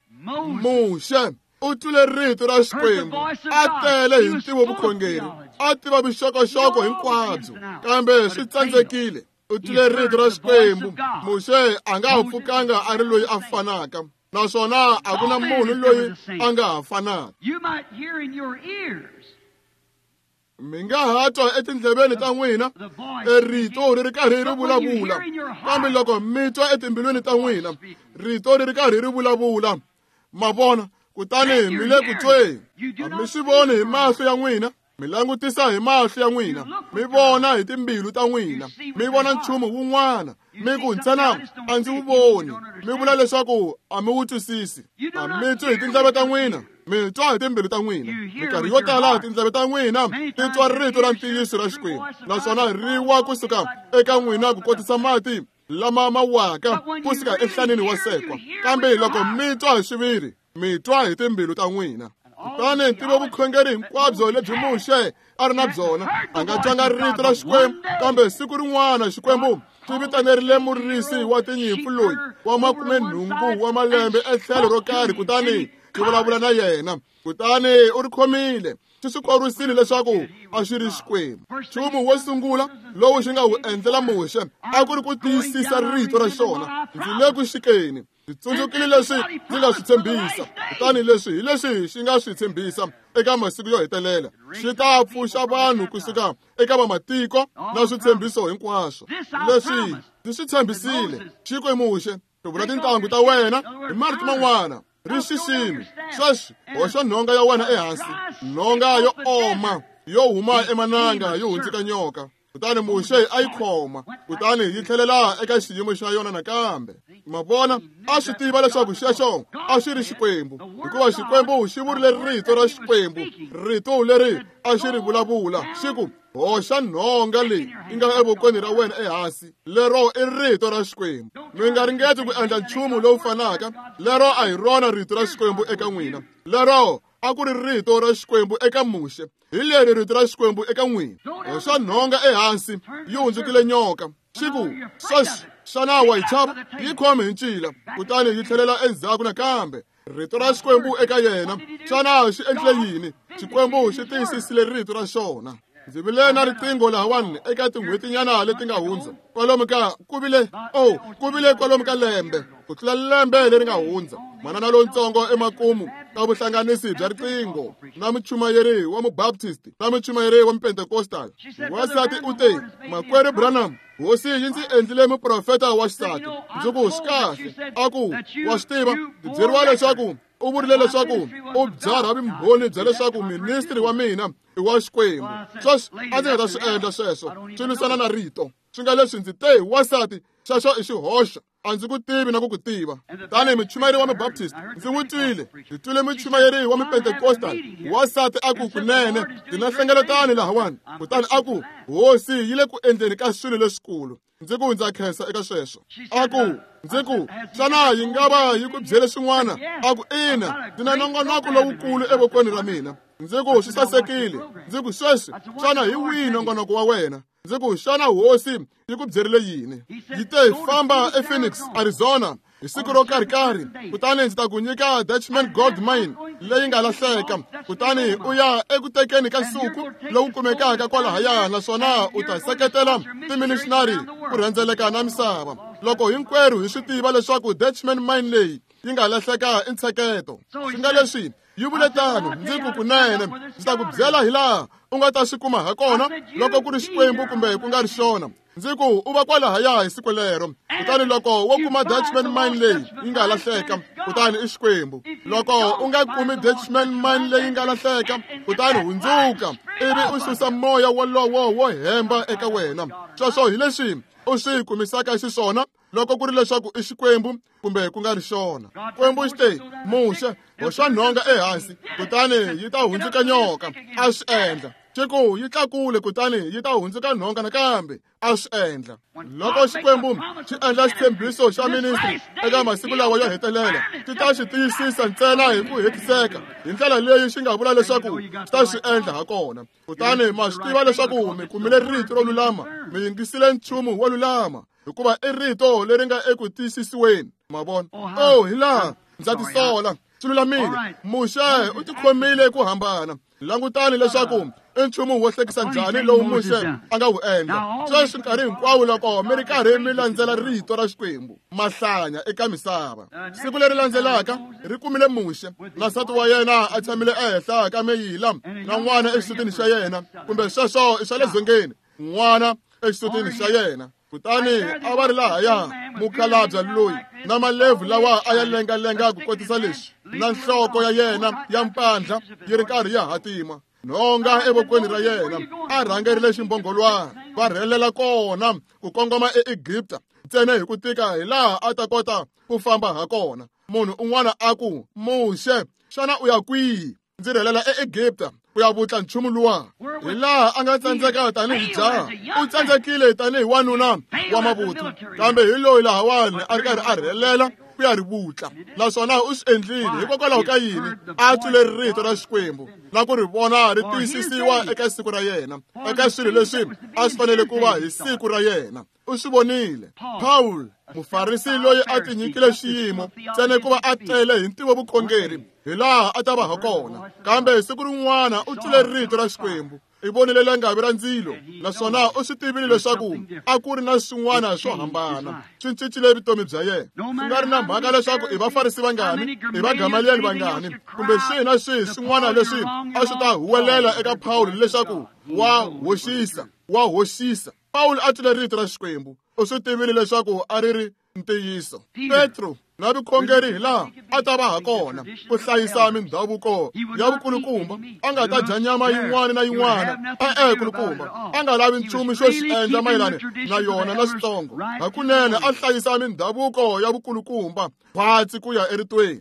[SPEAKER 1] Muxe u twile rito ra Xikwembu, a tele hi ntivo vukhongeri, a tiva vuxokoxoko hinkwabyo, kambe swi tsandzekile. U twile rito ra Xikwembu. Muxe a nga ha pfukanga a ri loyi a fanaka, naswona a ku na munhu loyi a nga ha fanaka. Mi nga ha twa etindleveni ta n'wina rito ri ri karhi ri vulavula, kambe loko mi twa etimbilwini ta n'wina rito ri ri karhi ri vulavula, ma vona, kutani mi le ku tweni. A mi swi voni hi mahlo ya n'wina, mi langutisa hi mahlo ya n'wina, mi vona hi timbilu ta n'wina, mi vona nchumu wun'wana, mi ku ntsena a ndzi wu voni, mi vula leswaku a mi wu twisisi. A mi twi hi tindleve ta n'wina, mi twa hi timbilu ta n'wina. Minkarhi yo tala tindleve ta n'wina ti twa rito ra ntiyiso ra Xikwembu, naswona ri wa kusuka eka n'wina ku kotisa mati lama ma waka kusuka enhlaneni wa sekwa. Kambe loko mi twa hi xiviri, mi twa hi timbilu ta n'wina. Kutani ntivo vukhongeri hinkwabyo lebyi Muxe a ri na byona, a nga twanga rito ra Xikwembu, kambe siku rin'wana Xikwembu xi vitanerile murisi wa tinyimpfu loyi wa 80 wa malembe etlhelo ro karhi, kutani xi vulavula na yena. Kutani u ri khomile, xi swi khorwisile leswaku a xi ri Xikwembu. Nchumu wo sungula lowu xi nga wu endlela Muxe a ku ri ku tiyisisa rito ra xona. Ndzi le ku xikeni, ndzi tsundzukile leswi ndzi nga swi tshembisa, kutani leswi hi leswi xi nga swi tshembisa eka masiku yo hetelela. Xi ta pfuxa vanhu kusuka eka vamatiko na switshembiso hinkwaswo leswi ndzi swi tshembisile. Xi ku Muxe, hluvula tintangu ta wena, hi marito man'wana ri xiximi. Sweswi hoxa nhonga ya wena ehansi, nhonga yo oma yo huma emananga yo hundzuka nyoka. Kutani Muxe a yi khoma, kutani yi tlhelela eka xiyimo xa yona nakambe. Ma vona, a swi tiva leswaku xexo a xi ri Xikwembu, hikuva Xikwembu xi vurile rito ra Xikwembu, rito leri a xi ri vulavula, xi ku, hoxa nhonga leyi yi nga evokweni ra wena ehansi. Lero i rito ra Xikwembu. Mi nga ringeti ku endla nchumu lowu fanaka. Lero a hi rona rito ra Xikwembu eka n'wina. Lero a ku ri rito ra Xikwembu eka Muxe. Hi leri rito ra Xikwembu eka n'wina. Hoxa nhonga ehansi, yi hundzukile nyoka. Xi ku, sweswi xana wa yi chava? Yi khome hi ncila, kutani yi tlhelela endzhaku nakambe. Rito ra Xikwembu eka yena. Xana xi endlile yini? Xikwembu xi tiyisisile rito ra xona. Ndzi vile na riqingho lahawani eka tin'hwetinyana leti nga hundza, kwalomu ka ku vile ku vile kwalomu ka lembe, ku tlula lembe leri nga hundza. Manana lontsongo emakumu ka vuhlanganisi bya riqingho na muchumayeri wa mubaptist na muchumayeri wa mupentecostal. Wansati u te, Makwerhu Branham, Hosi yi ndzi endlile muprofeta wa xisati. Ndzi ku, swi kahle. A ku, wa swi tiva, ndzi byeriwa leswaku u vurile leswaku u byarha vumbhoni bya leswaku ministri wa mina i wa Xikwembu. Sweswi a ndzi nga ta swi endla sweswo, swi lwisana na rito. Swi nga leswi ndzi te, wansati, xexo i xihoxo, a ndzi ku tivi na ku ku tiva. Tanihi muchumayeri wa mubaptist, ndzi n'wi twile. Ndzi twile muchumayeri wa mupentecostal. Wansati a ku, kunene ndzi na nhlengeletano lahawani. Kutani a ku, Hosi yi le ku endleni ka swilo leswikulu. Ndzi ku, ndza khensa eka sweswo. A ku, ndzi ku, xana yi nga va yi ku byele swin'wana? A ku, ina, ndzi na nongonoko lowukulu evokweni ra mina. Ndzi ku, swi sasekile. Ndzi ku, sweswi, xana hi wihi nongonoko wa wena? Ndzi ku, xana Hosi yi ku byerile yini? Yi te, famba ePhoenix, Arizona, hi siku ro karhi-karhi, kutani ndzi ta ku nyika Dutchman Gold Mine leyi nga lahleka, kutani u ya eku tekeni ka nsuku lowu kumekaka kwalahaya, naswona u ta seketela timissionary ku rhendzeleka na misava. Loko hinkwerhu hi swi tiva leswaku Dutchman Mine leyi yi nga lahleka i ntsheketo. Swi nga leswi yi vule tano. Ndzi ku, kunene ndzi ta ku byela hilaha u nga ta swi kuma ha kona, loko ku ri Xikwembu kumbe ku nga ri xona. Ndzi ku, u va kwalahaya hi siku lero. Kutani loko wo kuma Dutchman Mine leyi yi nga lahleka, kutani i Xikwembu. Loko u nga kumi Dutchman Mine leyi nga lahleka, kutani hundzuka ivi u susa moya wolowo wo hemba eka wena. Sweswo hi leswi u swi kumisaka xiswona loko ku ri leswaku i Xikwembu kumbe ku nga ri xona. Xikwembu xi te, Muxe, hoxa nhonga ehansi, kutani yi ta hundzuka nyoka. A swi endla. Xi ku, yi tlakule, kutani yi ta hundzuka nhonga nakambe. A swi endla. Loko Xikwembu xi endla xitshembiso xa ministri eka masiku lawa yo hetelela, xi ta xi tiyisisa ntsena hi ku hetiseka hi ndlela leyi xi nga vula leswaku xi ta swi endla ha kona. Kutani ma swi tiva leswaku mi kumile rito ro lulama, mi yingisile nchumu wo lulama, hikuva i rito leri nga eku tiyisisiweni. Ma vona? Oh, hilaha ndza tisola, swi lulamile. Muxe u tikhomile ku hambana. Langutani leswaku i nchumu wo hlekisa njhani lowu Muxe a nga wu endla. Sweswi nkarhi hinkwawo loko mi ri karhi mi landzela rito ra Xikwembu, mahlanya eka misava. Siku leri landzelaka ri kumile Muxe na nsati wa yena a tshamile ehenhla ka meyila na n'wana exisutini xa yena, kumbe sweswo i swa le dzongeni, n'wana exisutini xa yena. Kutani a va ri lahaya mukhalabya loyi na malebvu lawa a ya lengalenga ku kotisa leswi, na nhloko ya yena ya mpandla yi ri karhi ya hatima, nhonga evokweni ra yena, a rhangerile ximbhongolwana, va rhelela kona ku kongoma eEgipta ntsena hi ku tika hilaha a ta kota ku famba ha kona. Munhu un'wana a ku, Muxe, xana u ya kwihi? Ndzi rhelela eEgipta ku ya vutla nchumu luwa. Hilaha a nga tsandzeka tanihi jaha, u tsandzekile tanihi wanuna wa mavuthu, kambe hi loyi lahawani a ri karhi a rhelela ku ya ri vutla. Naswona u swi endlile hikokwalaho ka yini? A twile rito ra Xikwembu na ku ri vona ri tiyisisiwa eka siku ra yena, eka swilo leswi a swi fanele ku va hi siku ra yena. U swi vonile. Paul, mufarisi loyi a tinyikile xiyimo ntsena ku va a tele hi ntivo vukhongeri hi laha a ta va ha kona, kambe siku rin'wana u twile rito ra Xikwembu. I vonile langavi ra ndzilo, naswona u swi tivile leswaku a ku ri na swin'wana swo hambana. Swi cincile vutomi bya yena. Swi nga ri na mhaka leswaku i vafarisi vangani, i vagamaliyeli vangani, kumbe swihi na swihi swin'wana leswi a swi ta huwelela eka Pawulo leswaku wa hoxisa, wa hoxisa. Pawulo a twile rito ra Xikwembu. U swi tivile leswaku a ri ri ntiyiso. Petro na vukhongeri hi laha a ta va ha kona ku hlayisa mindhavuko ya vukulukumba, a nga ta dya nyama yin'wana na yin'wana. E-e, kulukumba, a nga lavi nchumu xo xi endla mayelana na yona na switsongo. Hakunene a hlayisa mindhavuko ya vukulukumba khwatsi ku ya eritweni.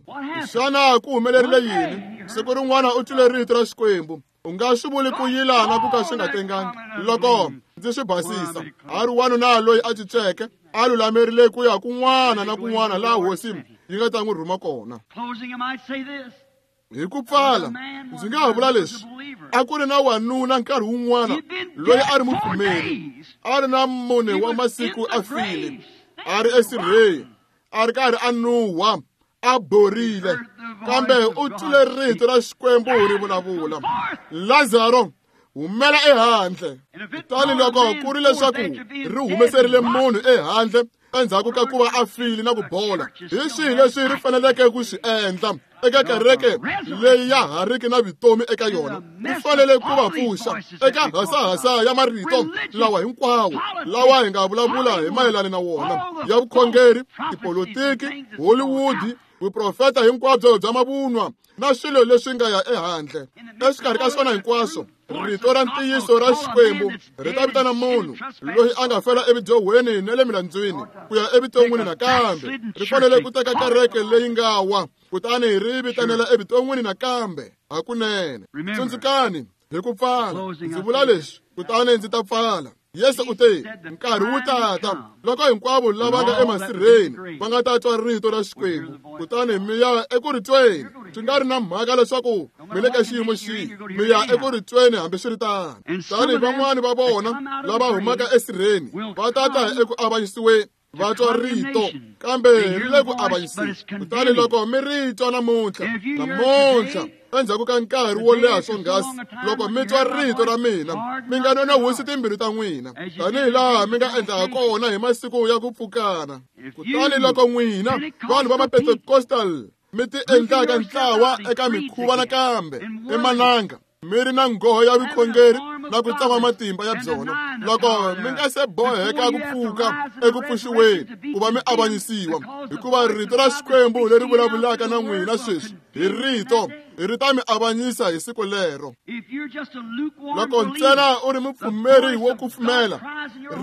[SPEAKER 1] Xana ku humelerile yini? Siku rin'wana u twile rito ra Xikwembu. U nga swi vuli ku yilana ku ka swi nga tengangi loko ndzi swi basisa. A ri wanuna loyi a cinceke, a lulamerile ku ya kun'wana na kun'wana laha hosi yi nga ta n'wi rhuma kona. Hi ku pfala, ndzi nga ha vula leswi: a ku ri na wanuna nkarhi wun'wana loyi a ri mupfumeri, a ri na 4 wa masiku a file, a ri esirheni, a ri karhi a nuhwa, a borile, kambe u twile rito ra Xikwembu ri vulavula, Lazaro, humela ehandle. Kutani loko ku ri leswaku ri humeserile munhu ehandle endzhaku ka ku va a file na ku bola, hi swihi leswi ri faneleke ku swi endla eka kereke leyi ya ha riki na vutomi eka yona? Ri fanele ku va pfuxa eka hasahasa ya marito lawa hinkwawo lawa hi nga vulavula hi mayelana na wona, ya vukhongeri, tipolotiki, Hollywood, vuprofeta hinkwabyo bya mavunwa na swilo leswi nga ya ehandle. Exikarhi ka swona hinkwaswo, rito ra ntiyiso ra Xikwembu ri ta vitana munhu loyi a nga fela evudyohweni na le milandzwini ku ya evuton'wini nakambe. Ri fanele ku teka kereke leyi nga wa, kutani ri vitanela evuton'wini nakambe. Hakunene. Tsundzukani, hi ku pfala, ndzi vula leswi, kutani ndzi ta pfala. Yesu u te, nkarhi wu tata loko hinkwavo lava nga emasirheni va nga ta twa rito ra Xikwembu, kutani mi ya eku ri tweni. Swi nga ri na mhaka leswaku mi le ka xiyimo xihi, mi ya eku ri tweni hambiswiritano. Tani van'wani va vona lava humaka esirheni va ta ta eku avanyisiweni, va twa rito, kambe ri le ku avanyisiweni. Kutani loko mi ri twa namuntlha, namuntlha endzhaku ka nkarhi wo leha swonghasi, loko mi twa rito ra mina, mi nga nonon'hwisi timbilu ta n'wina, tanihi laha mi nga endla ha kona hi masiku ya ku pfukana. Kutani loko n'wina vanhu va Mapentecostal mi ti endlaka ntlawa eka mikhuva nakambe emananga, mi ri na nghoho ya vukhongeri na ku tsama matimba ya byona, loko mi nga se boheka ku pfuka eku pfuxiweni ku va mi avanyisiwa, hikuva rito ra Xikwembu leri vulavulaka na n'wina sweswi hi rito ri ta mi avanyisa hi siku lero. Loko ntsena u ri mupfumeri wo kufumela,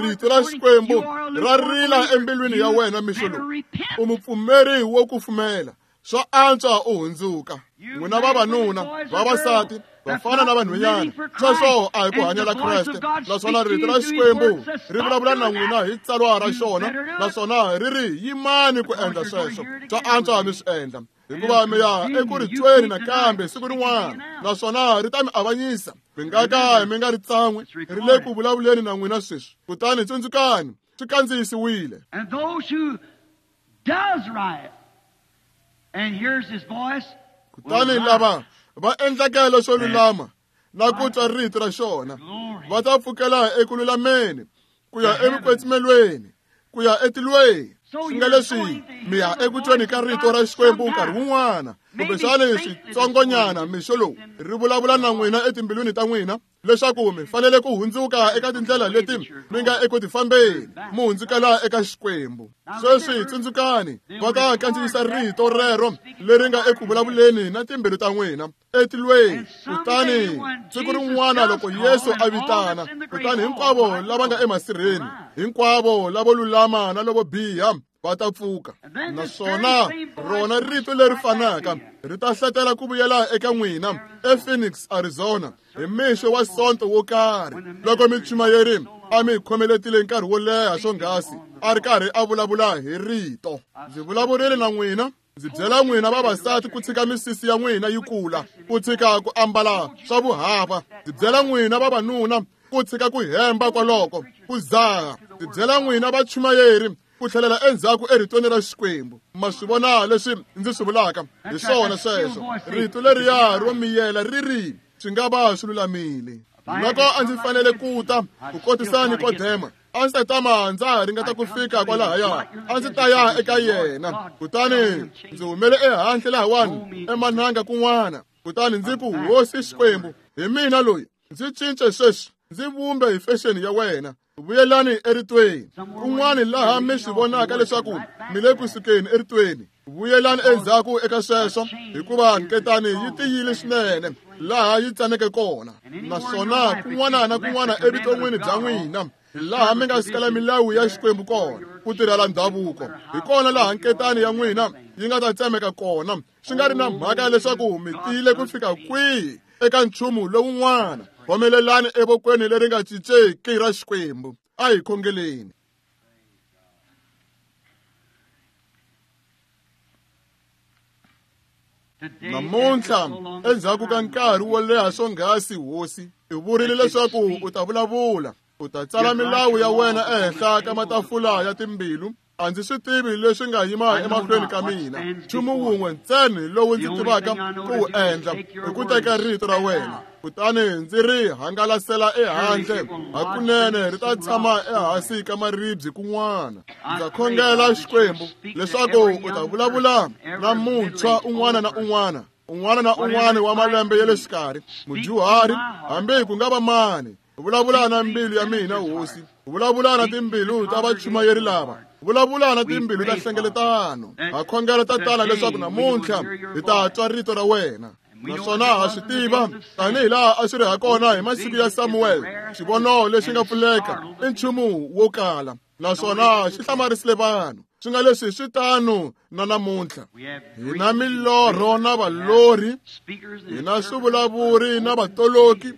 [SPEAKER 1] rito ra Xikwembu ra rila embilwini ya wena mixo lowu. U mupfumeri wo kufumela, swa antswa u hundzuka. N'wina vavanuna, vavasati, vafana na vanhwanyana, sweswo a hi ku hanyela Kreste. Naswona rito ra Xikwembu ri vulavula na n'wina hi tsalwa ra xona, naswona ri ri yimani ku endla sweswo. Swa antswa mi swi endla, hikuva mi ya eku ri tweni nakambe siku rin'wana, naswona ri ta mi avanyisa. Mi nga ka mi nga ri tsan'wi, ri le ku vulavuleni na n'wina sweswi. Kutani tsundzukani, swi kandziyisiwile. Kutani lava va endlaka leswo lulama na ku twa rito ra xona va ta pfukela eku lulameni ku ya evukwetsimelweni, ku ya etilweni. Swi nga leswi mi ya eku tweni ka rito ra Xikwembu nkarhi wun'wana, kumbexana switsongonyana mixo lowu ri vulavula na n'wina etimbilwini ta n'wina leswaku mi fanele ku hundzuka eka tindlela leti mi nga eku tifambeni, mi hundzukela eka Xikwembu. Sweswi tsundzukani, va ta kandziyisa rito rero leri nga eku vulavuleni na timbilu ta n'wina etilweni. Kutani siku rin'wana loko Yesu a vitana, kutani hinkwavo lava nga emasirheni Hinkwavo lavo lulama na lavo biha va ta pfuka. Naswona rona rito leri fanaka ri ta hlatela ku vuyela eka n'wina ePhoenix, Arizona, hi mixo wa Sonto wo karhi, loko michumayeri a mi khomeletile nkarhi wo leha swonghasi a ri karhi a vulavula hi rito. Ndzi vulavurile na n'wina, ndzi byela n'wina vavasati ku tshika misisi ya n'wina yi kula, ku tshika ku ambala swa vuhava. Ndzi byela n'wina vavanuna ku tshika ku hemba kwaloko, ku zaha. Ndzi byela n'wina vachumayeri ku tlhelela endzhaku eritweni ra Xikwembu. Ma swi vona leswi ndzi swi vulaka? Hi swona sweswo. Rito leriya ro miyela ri ri swi nga va swi lulamile. Loko a ndzi fanele ku ta ku kotisa Nikodema, a ndzi ta tama ndza ha ringeta ku fika kwalahaya, a ndzi ta ya eka yena. Kutani ndzi humele ehandle lahawani emananga kun'wana, kutani ndzi ku, Hosi Xikwembu, hi mina loyi, ndzi cince sweswi, ndzi vumbe hi fexeni ya wena. Vuyelani eritweni. Kun'wana laha mi swi vonaka leswaku mi le kusukeni eritweni, vuyelani endzhaku eka sweswo, hikuva nketani yi tiyile swinene laha yi tsaneke kona. Naswona kun'wana na kun'wana evuton'wini bya n'wina laha mi nga sikela milawu ya Xikwembu kona, ku tirhela ndhavuko, hi kona laha nketani ya n'wina yi nga ta tsemeka kona, swi nga ri na mhaka leswaku mi tiyile ku fika kwihi eka nchumu lowun'wana. Khomelelani evokweni leri nga cinceki ra Xikwembu. A hi khongeleni. Namuntlha, endzhaku ka nkarhi wo leha swonghasi, Hosi, u vurile leswaku u ta vulavula, u ta tsala milawu ya wena ehenhla ka matafula ya timbilu. A ndzi swi tivi leswi nga yima emahlweni ka mina. Nchumu wun'we ntsena lowu ndzi tivaka ku wu endla i ku teka rito ra wena, kutani ndzi ri hangalasela ehandle. Hakunene ri ta tshama ehansi ka maribye kun'wana. Ndza khongela, Xikwembu, leswaku u ta vulavula na muntshwa un'wana na un'wana, un'wana na un'wana wa malembe ya le xikarhi, mudyuhari, hambi ku nga va mani. Vulavula na mbilu ya mina, Hosi. Vulavula na timbilu ta vachumayeri lava. Vulavula na timbilu ta nhlengeletano. Ha khongela, Tatana, leswaku namuntlha hi ta twa rito ra wena. Naswona ha swi tiva, tanihi laha a swi ri ha kona hi masiku ya Samuel, xivono lexi nga pfuleka i nchumu wo kala, naswona xi hlamarisile vanhu. Swi nga leswi swi tano na namuntlha. Hi na milorho na valorhi, hi na swivulavuri na vatoloki,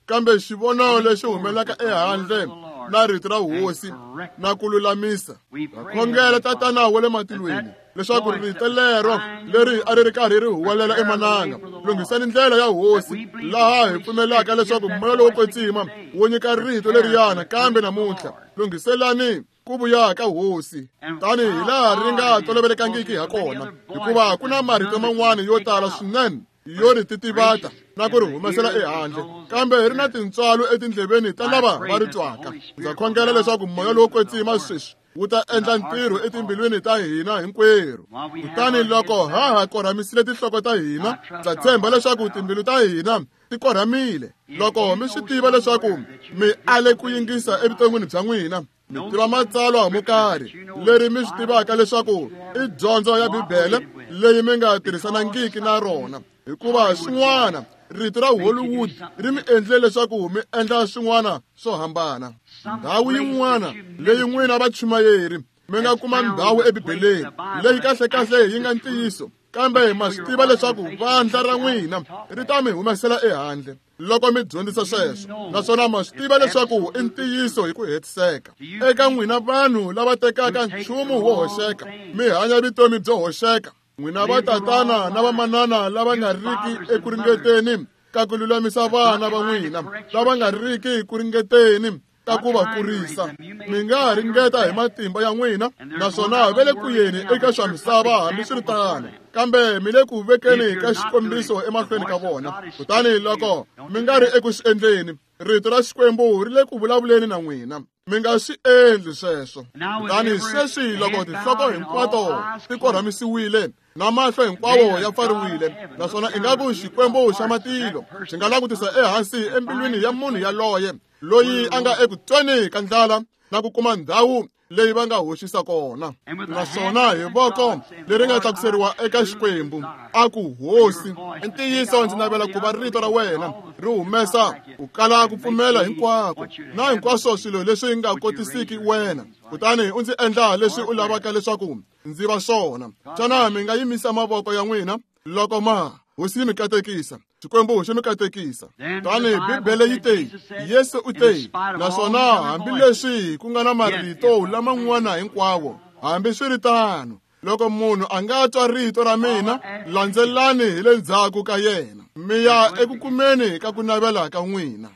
[SPEAKER 1] kambe xivono lexi humelaka ehandle na rito ra Hosi na ku lulamisa. Ha khongela, Tatana wa le matilweni, leswaku rito lero leri a ri ri karhi ri huwelela emananga, lunghisani ndlela ya Hosi, laha hi pfumelaka leswaku Moya lowo Kwetsima wu nyika rito leriyana kambe namuntlha. Lunghiselani ku vuya ka Hosi, tanihi laha ri nga tolovelekangiki ha kona, hikuva ku na marito man'wana yo tala swinene yo ri titivata na ku ri humesela ehandle, kambe ri na tintswalo etindleveni ta lava va ri twaka. Ndza khongela leswaku Moya lowo Kwetsima sweswi wu ta endla ntirho etimbilwini ta hina hinkwerhu. Kutani loko ha ha korhamisile tinhloko ta hina, ndza tshemba leswaku timbilu ta hina ti korhamile. Loko mi swi tiva leswaku mi ale ku yingisa evuton'wini bya n'wina, mi tiva matsalwa mo karhi leri mi swi tivaka leswaku i dyondzo ya Bibele leyi mi nga tirhisanangiki na rona, hikuva swin'wana rito ra Hollywood ri mi endle leswaku mi endla swin'wana swo hambana. Ndhawu yin'wana leyi n'wina vachumayeri mi nga kuma ndhawu eBibeleni leyi kahlekahle yi nga ntiyiso, kambe ma swi tiva leswaku vandla ra n'wina ri ta mi humesela ehandle loko mi dyondzisa sweswo, naswona ma swi tiva leswaku i ntiyiso hi ku hetiseka. Eka n'wina vanhu lava tekaka nchumu wo hoxeka, mi hanya vutomi byo hoxeka, n'wina vatatana na vamanana lava nga riki eku ringeteni ka ku lulamisa vana va n'wina, lava nga riki ku ringeteni ka ku va kurisa, mi nga ringeta hi matimba ya n'wina, naswona va le ku yeni eka swa misava hambiswiritano, kambe mi le ku vekeni ka xikombiso emahlweni ka vona. Kutani loko mi nga ri eku swi endleni, rito ra Xikwembu ri le ku vulavuleni na n'wina. Mi nga swi endli sweswo. Kutani sweswi loko tinhloko hinkwato ti korhamisiwile na mahlo hinkwawo ya pfariwile, naswona ingaku Xikwembu xa matilo xi nga langutisa ehansi embilwini ya munhu yaloye loyi a nga eku tweni ka ndlala na ku kuma ndhawu leyi va nga hoxisa kona. Naswona hi voko leri nga tlakuseriwa eka Xikwembu, a ku, Hosi, i ntiyiso ndzi navela ku va rito ra wena ri humesa ku kala ku pfumela hinkwako na hinkwaswo swilo leswi nga kotisiki wena, kutani u ndzi endla leswi u lavaka leswaku ndzi va swona. Xana mi nga yimisa mavoko ya n'wina loko ma Hosi yi mi katekisa? Xikwembu xi mi katekisa. Tani Bibele yi te, Yesu u te, naswona hambileswi ku nga na marito laman'wana hinkwawo, hambi swi ri tano, loko munhu a nga twa rito ra mina, landzelani hi le ndzhaku ka yena, mi ya eku kumeni ka ku navela ka n'wina.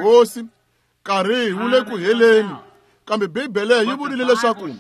[SPEAKER 1] Hosi, nkarhi wu le ku heleni, kambe Bibele yi vurile leswaku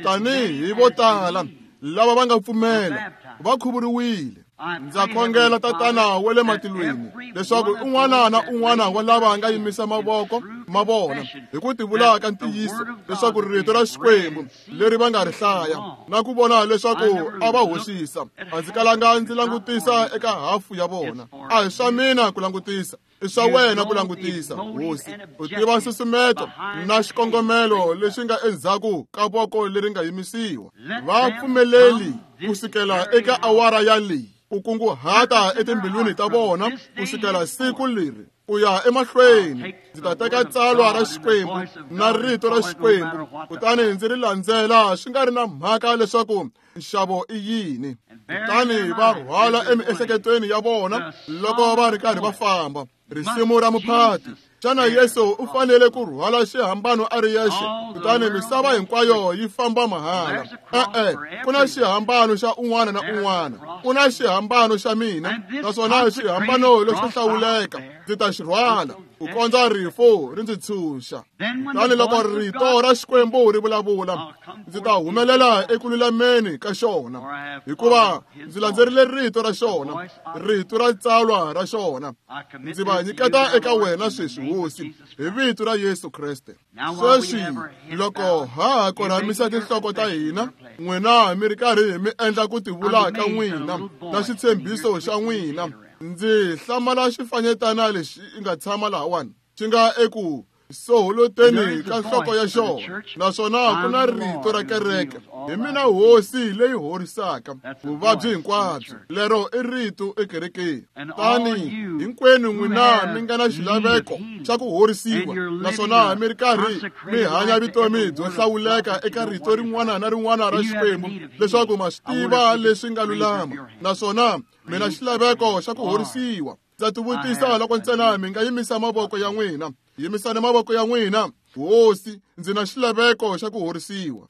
[SPEAKER 1] tanihi vo tala lava va nga pfumela va khuvuriwile. Ndza khongela, Tatana wa le matilweni, leswaku un'wana na un'wana wa lava nga yimisa mavoko ma vona hi ku tivula ka ntiyiso leswaku rito ra Xikwembu leri va nga ri hlaya na ku vona leswaku a va hoxisa. A ndzi kalanga ndzi langutisa eka hafu ya vona. A hi swa mina ku langutisa, i swa wena ku langutisa, Hosi. U tiva nsusumeto na xikongomelo lexi nga endzhaku ka voko leri nga yimisiwa. Va pfumeleli ku sukela eka awara ya leyi ku kunguhata etimbilwini ta vona ku sukela siku leri ku ya emahlweni. Ndzi ta teka tsalwa ra Xikwembu na rito ra Xikwembu kutani ndzi ri landzela swi nga ri na mhaka leswaku nxavo i yini. Kutani va rhwala emiehleketweni ya vona loko va ri karhi va famba risimu ra muphati. Xana Yesu u fanele ku rhwala xihambano a ri yexe kutani misava hinkwayo yi famba mahala? E-e, ku na xihambano xa un'wana na un'wana. Ku na xihambano xa mina, naswona xihambano lexo hlawuleka ndzi ta xi rhwala ku kondza rifu ri ndzi tshunxa. Kutani loko rito ra Xikwembu ri vulavula, ndzi ta humelela eku lulameni ka xona, hikuva ndzi landzerile rito ra xona, rito ra tsalwa ra xona. Ndzi va nyiketa eka wena sweswi, Hosi, hi vito ra Yesu Kreste. Sweswi loko ha ha korhamisa tinhloko ta hina, n'wina mi ri karhi mi endla ku tivula ka n'wina na xitshembiso xa n'wina, ndzi hlamala xifanyetana lexi nga tshama lahawani xi nga eku soholoteni ka nhloko ya xona, naswona ku na rito ra kereke, hi mina Hosi leyi horisaka vuvabyi hinkwabyo. Lero i rito ekerekeni. Tani hinkwenu n'wina mi nga na xilaveko xa ku horisiwa, naswona mi ri karhi mi hanya vutomi byo hlawuleka eka rito rin'wana na rin'wana ra Xikwembu, leswaku ma swi tiva leswi nga lulama, naswona mi na xilaveko xa ku horisiwa. Ndza tivutisa loko ntsena mi nga yimisa mavoko ya n'wina. Yimisani mavoko ya n'wina. Hosi, ndzi na xilaveko xa ku horisiwa.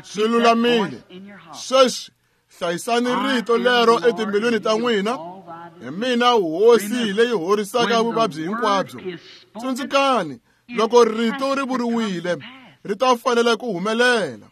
[SPEAKER 1] Swi lulamile. Sweswi hlayisani rito lero etimbilwini ta n'wina. Hi mina Hosi leyi horisaka vuvabyi hinkwabyo. Tsundzukani, loko rito ri vuriwile, ri ta fanela ku humelela.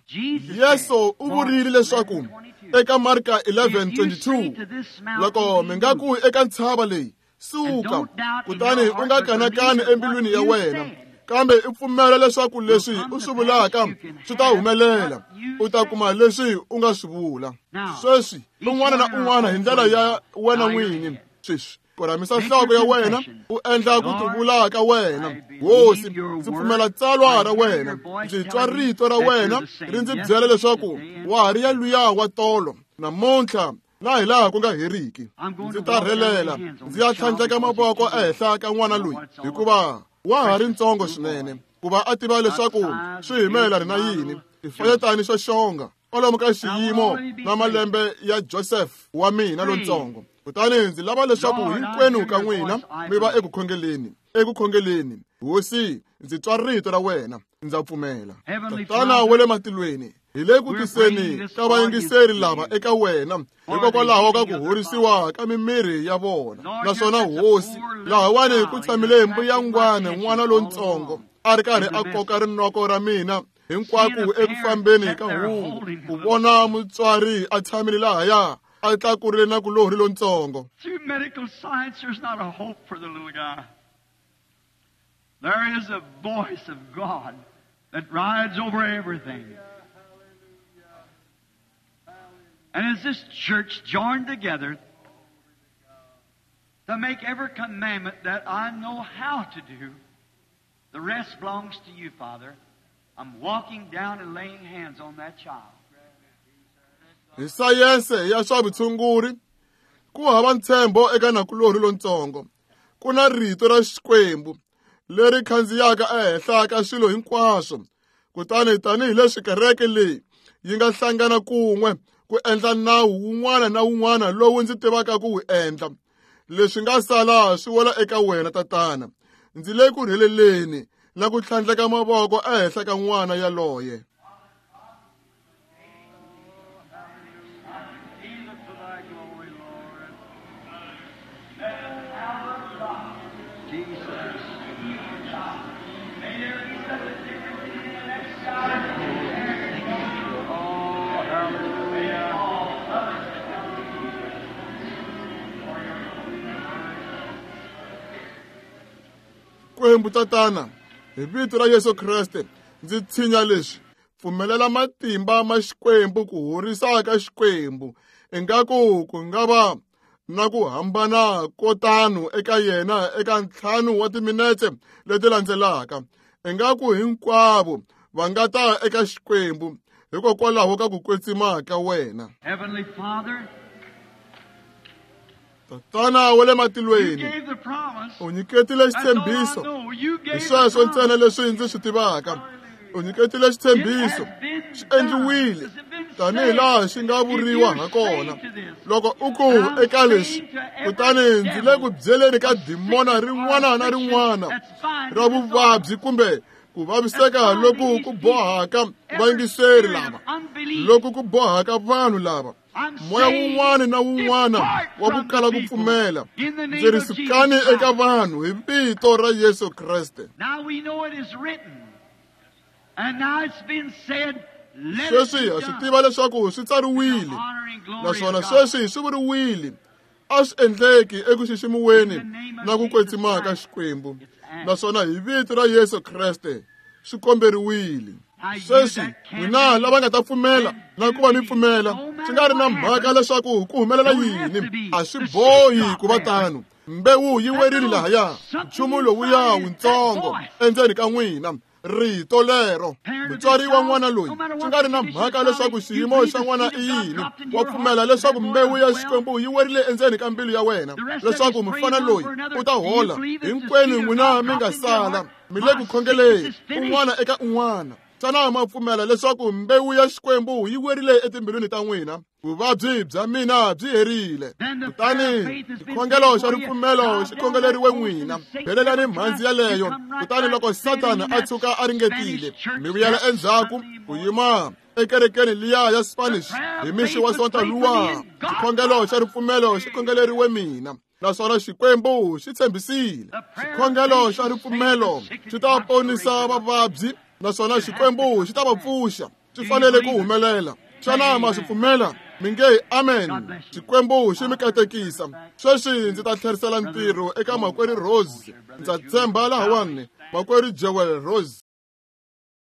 [SPEAKER 1] Yesu u vurile leswaku eka Marka 11:22, loko mi nga ku eka ntshava leyi, suka, kutani u nga kanakani embilwini ya wena, kambe u pfumela leswaku leswi u swi vulaka swi ta humelela, u ta kuma leswi u nga swi vula. Sweswi un'wana na un'wana hi ndlela ya wena n'winyi, sweswi korhamisa nhloko ya wena u endla ku tivula ka wena. Hosi, ndzi pfumela tsalwa ra wena, ndzi twa rito ra wena ri ndzi byela leswaku wa ha ri ya luya wa tolo namuntlha na hi laha ku nga heriki. Ndzi ta rhelela ndzi ya tlhandleka mavoko ehenhla ka n'wana loyi, hikuva wa ha ri ntsongo swinene ku va a tiva leswaku swi hi mayelana na yini. Xifanyetani xo xonga kwalomu ka xiyimo na malembe ya Joseph wa mina lontsongo. Kutani ndzi lava leswaku hinkwenu ka n'wina mi va eku khongeleni, eku khongeleni. Hosi, ndzi twa rito ra wena, ndza pfumela. Tatana wa le matilweni, hi le ku tiseni ka vayingiseri lava eka wena hikokwalaho ka ku horisiwa ka mimiri ya vona. Naswona Hosi, lahawani ku tshamile mbuyangwana n'wana lontsongo a ri karhi a koka rinoko ra mina hinkwako eku fambeni ka hungu, ku vona mutswari a tshamile lahaya a tlakurile na kulorhi lontsongo.
[SPEAKER 2] Through medical science, there's not a hope for the little guy. There is a voice of God that rides over everything. And as this church joined together to make every commandment that I know how to do, the rest belongs to you, Father.
[SPEAKER 1] Hi sayense ya swa vutshunguri, ku hava ntshembo eka nakulorhi lontsongo. Ku na rito ra Xikwembu leri khandziyaka ehenhla ka swilo hinkwaswo. Kutani tanihileswi kereke leyi yi nga hlangana kun'we ku endla nawu wun'wana na wun'wana lowu ndzi tivaka ku wu endla, leswi nga sala swi wela eka wena Tatana. Ndzi le ku rheleleni na ku tlhandleka mavoko ehenhla ka n'wana yaloye. Xikwembu Tatana, hi vito ra Yesu Kreste, ndzi tshinya leswi, pfumelela matimba ma Xikwembu ku horisa ka Xikwembu, ingaku ku nga va na ku hambana ko tano eka yena eka 5 wa timinetse leti landzelaka, ingaku hinkwavo va nga ta eka Xikwembu hikokwalaho ka ku kwetsima ka wena.
[SPEAKER 2] Heavenly Father,
[SPEAKER 1] Tatana wa le matilweni, u nyiketile xitshembiso. Hi sweswo ntsena leswi ndzi swi tivaka. U nyiketile xitshembiso, xi endliwile tanihilaha xi nga vuriwa hakona. Loko u ku eka leswi, kutani ndzi le ku byeleni ka dimona rin'wana na rin'wana ra vuvabyi kumbe ku vaviseka loku ku bohaka vayingiseri lava, loku ku bohaka vanhu lava, moya wun'wana na wun'wana wa ku kala ku pfumela, ndzi ri sukani eka vanhu hi vito ra Yesu Kreste. Sweswi ha swi tiva leswaku swi tsariwile, naswona sweswi swi vuriwile, a swi endleki eku xiximiweni na ku kwetsima ka Xikwembu, naswona hi vito ra Yesu Kreste swi komberiwile. Sweswi n'wina lava nga ta pfumela na ku va mi pfumela, swi nga ri na mhaka leswaku ku humelela yini, a swi bohi ku va tano. Mbewu yi werile lahaya, nchumu lowuya wuntsongo endzeni ka n'wina, rito lero. Mutswari wa n'wana loyi, swi nga ri na mhaka leswaku xiyimo xa n'wana i yini, wa pfumela leswaku mbewu ya Xikwembu yi werile endzeni ka mbilu ya wena, leswaku mufana loyi u ta hola. Hinkwenu n'wina mi nga sala mi le ku khongeleni un'wana eka un'wana. Xana ma pfumela leswaku mbewu ya Xikwembu yi werile etimbilwini ta n'wina? Vuvabyi bya mina byi herile. Kutani xikhongelo xa ripfumelo xi khongeleriwe n'wina. Belelani mhandzi yaleyo. Kutani loko Sathana a tshuka a ringetile, mi vuyela endzhaku ku yima ekerekeni liya ya Spanish hi mixi wa Sonta luwa. Xikhongelo xa ripfumelo xi khongeleriwe mina, naswona Xikwembu xi tshembisile. Xikhongelo xa ripfumelo xi ta ponisa vavabyi, naswona Xikwembu xi ta va pfuxa. Swi fanele ku humelela. Xana ma swi pfumela? Mi nge amen. Xikwembu xi mi katekisa. Sweswi ndzi ta tlherisela ntirho eka makwerhu Rose. Ndza tshemba lahawani, makwerhu Jewel Rose.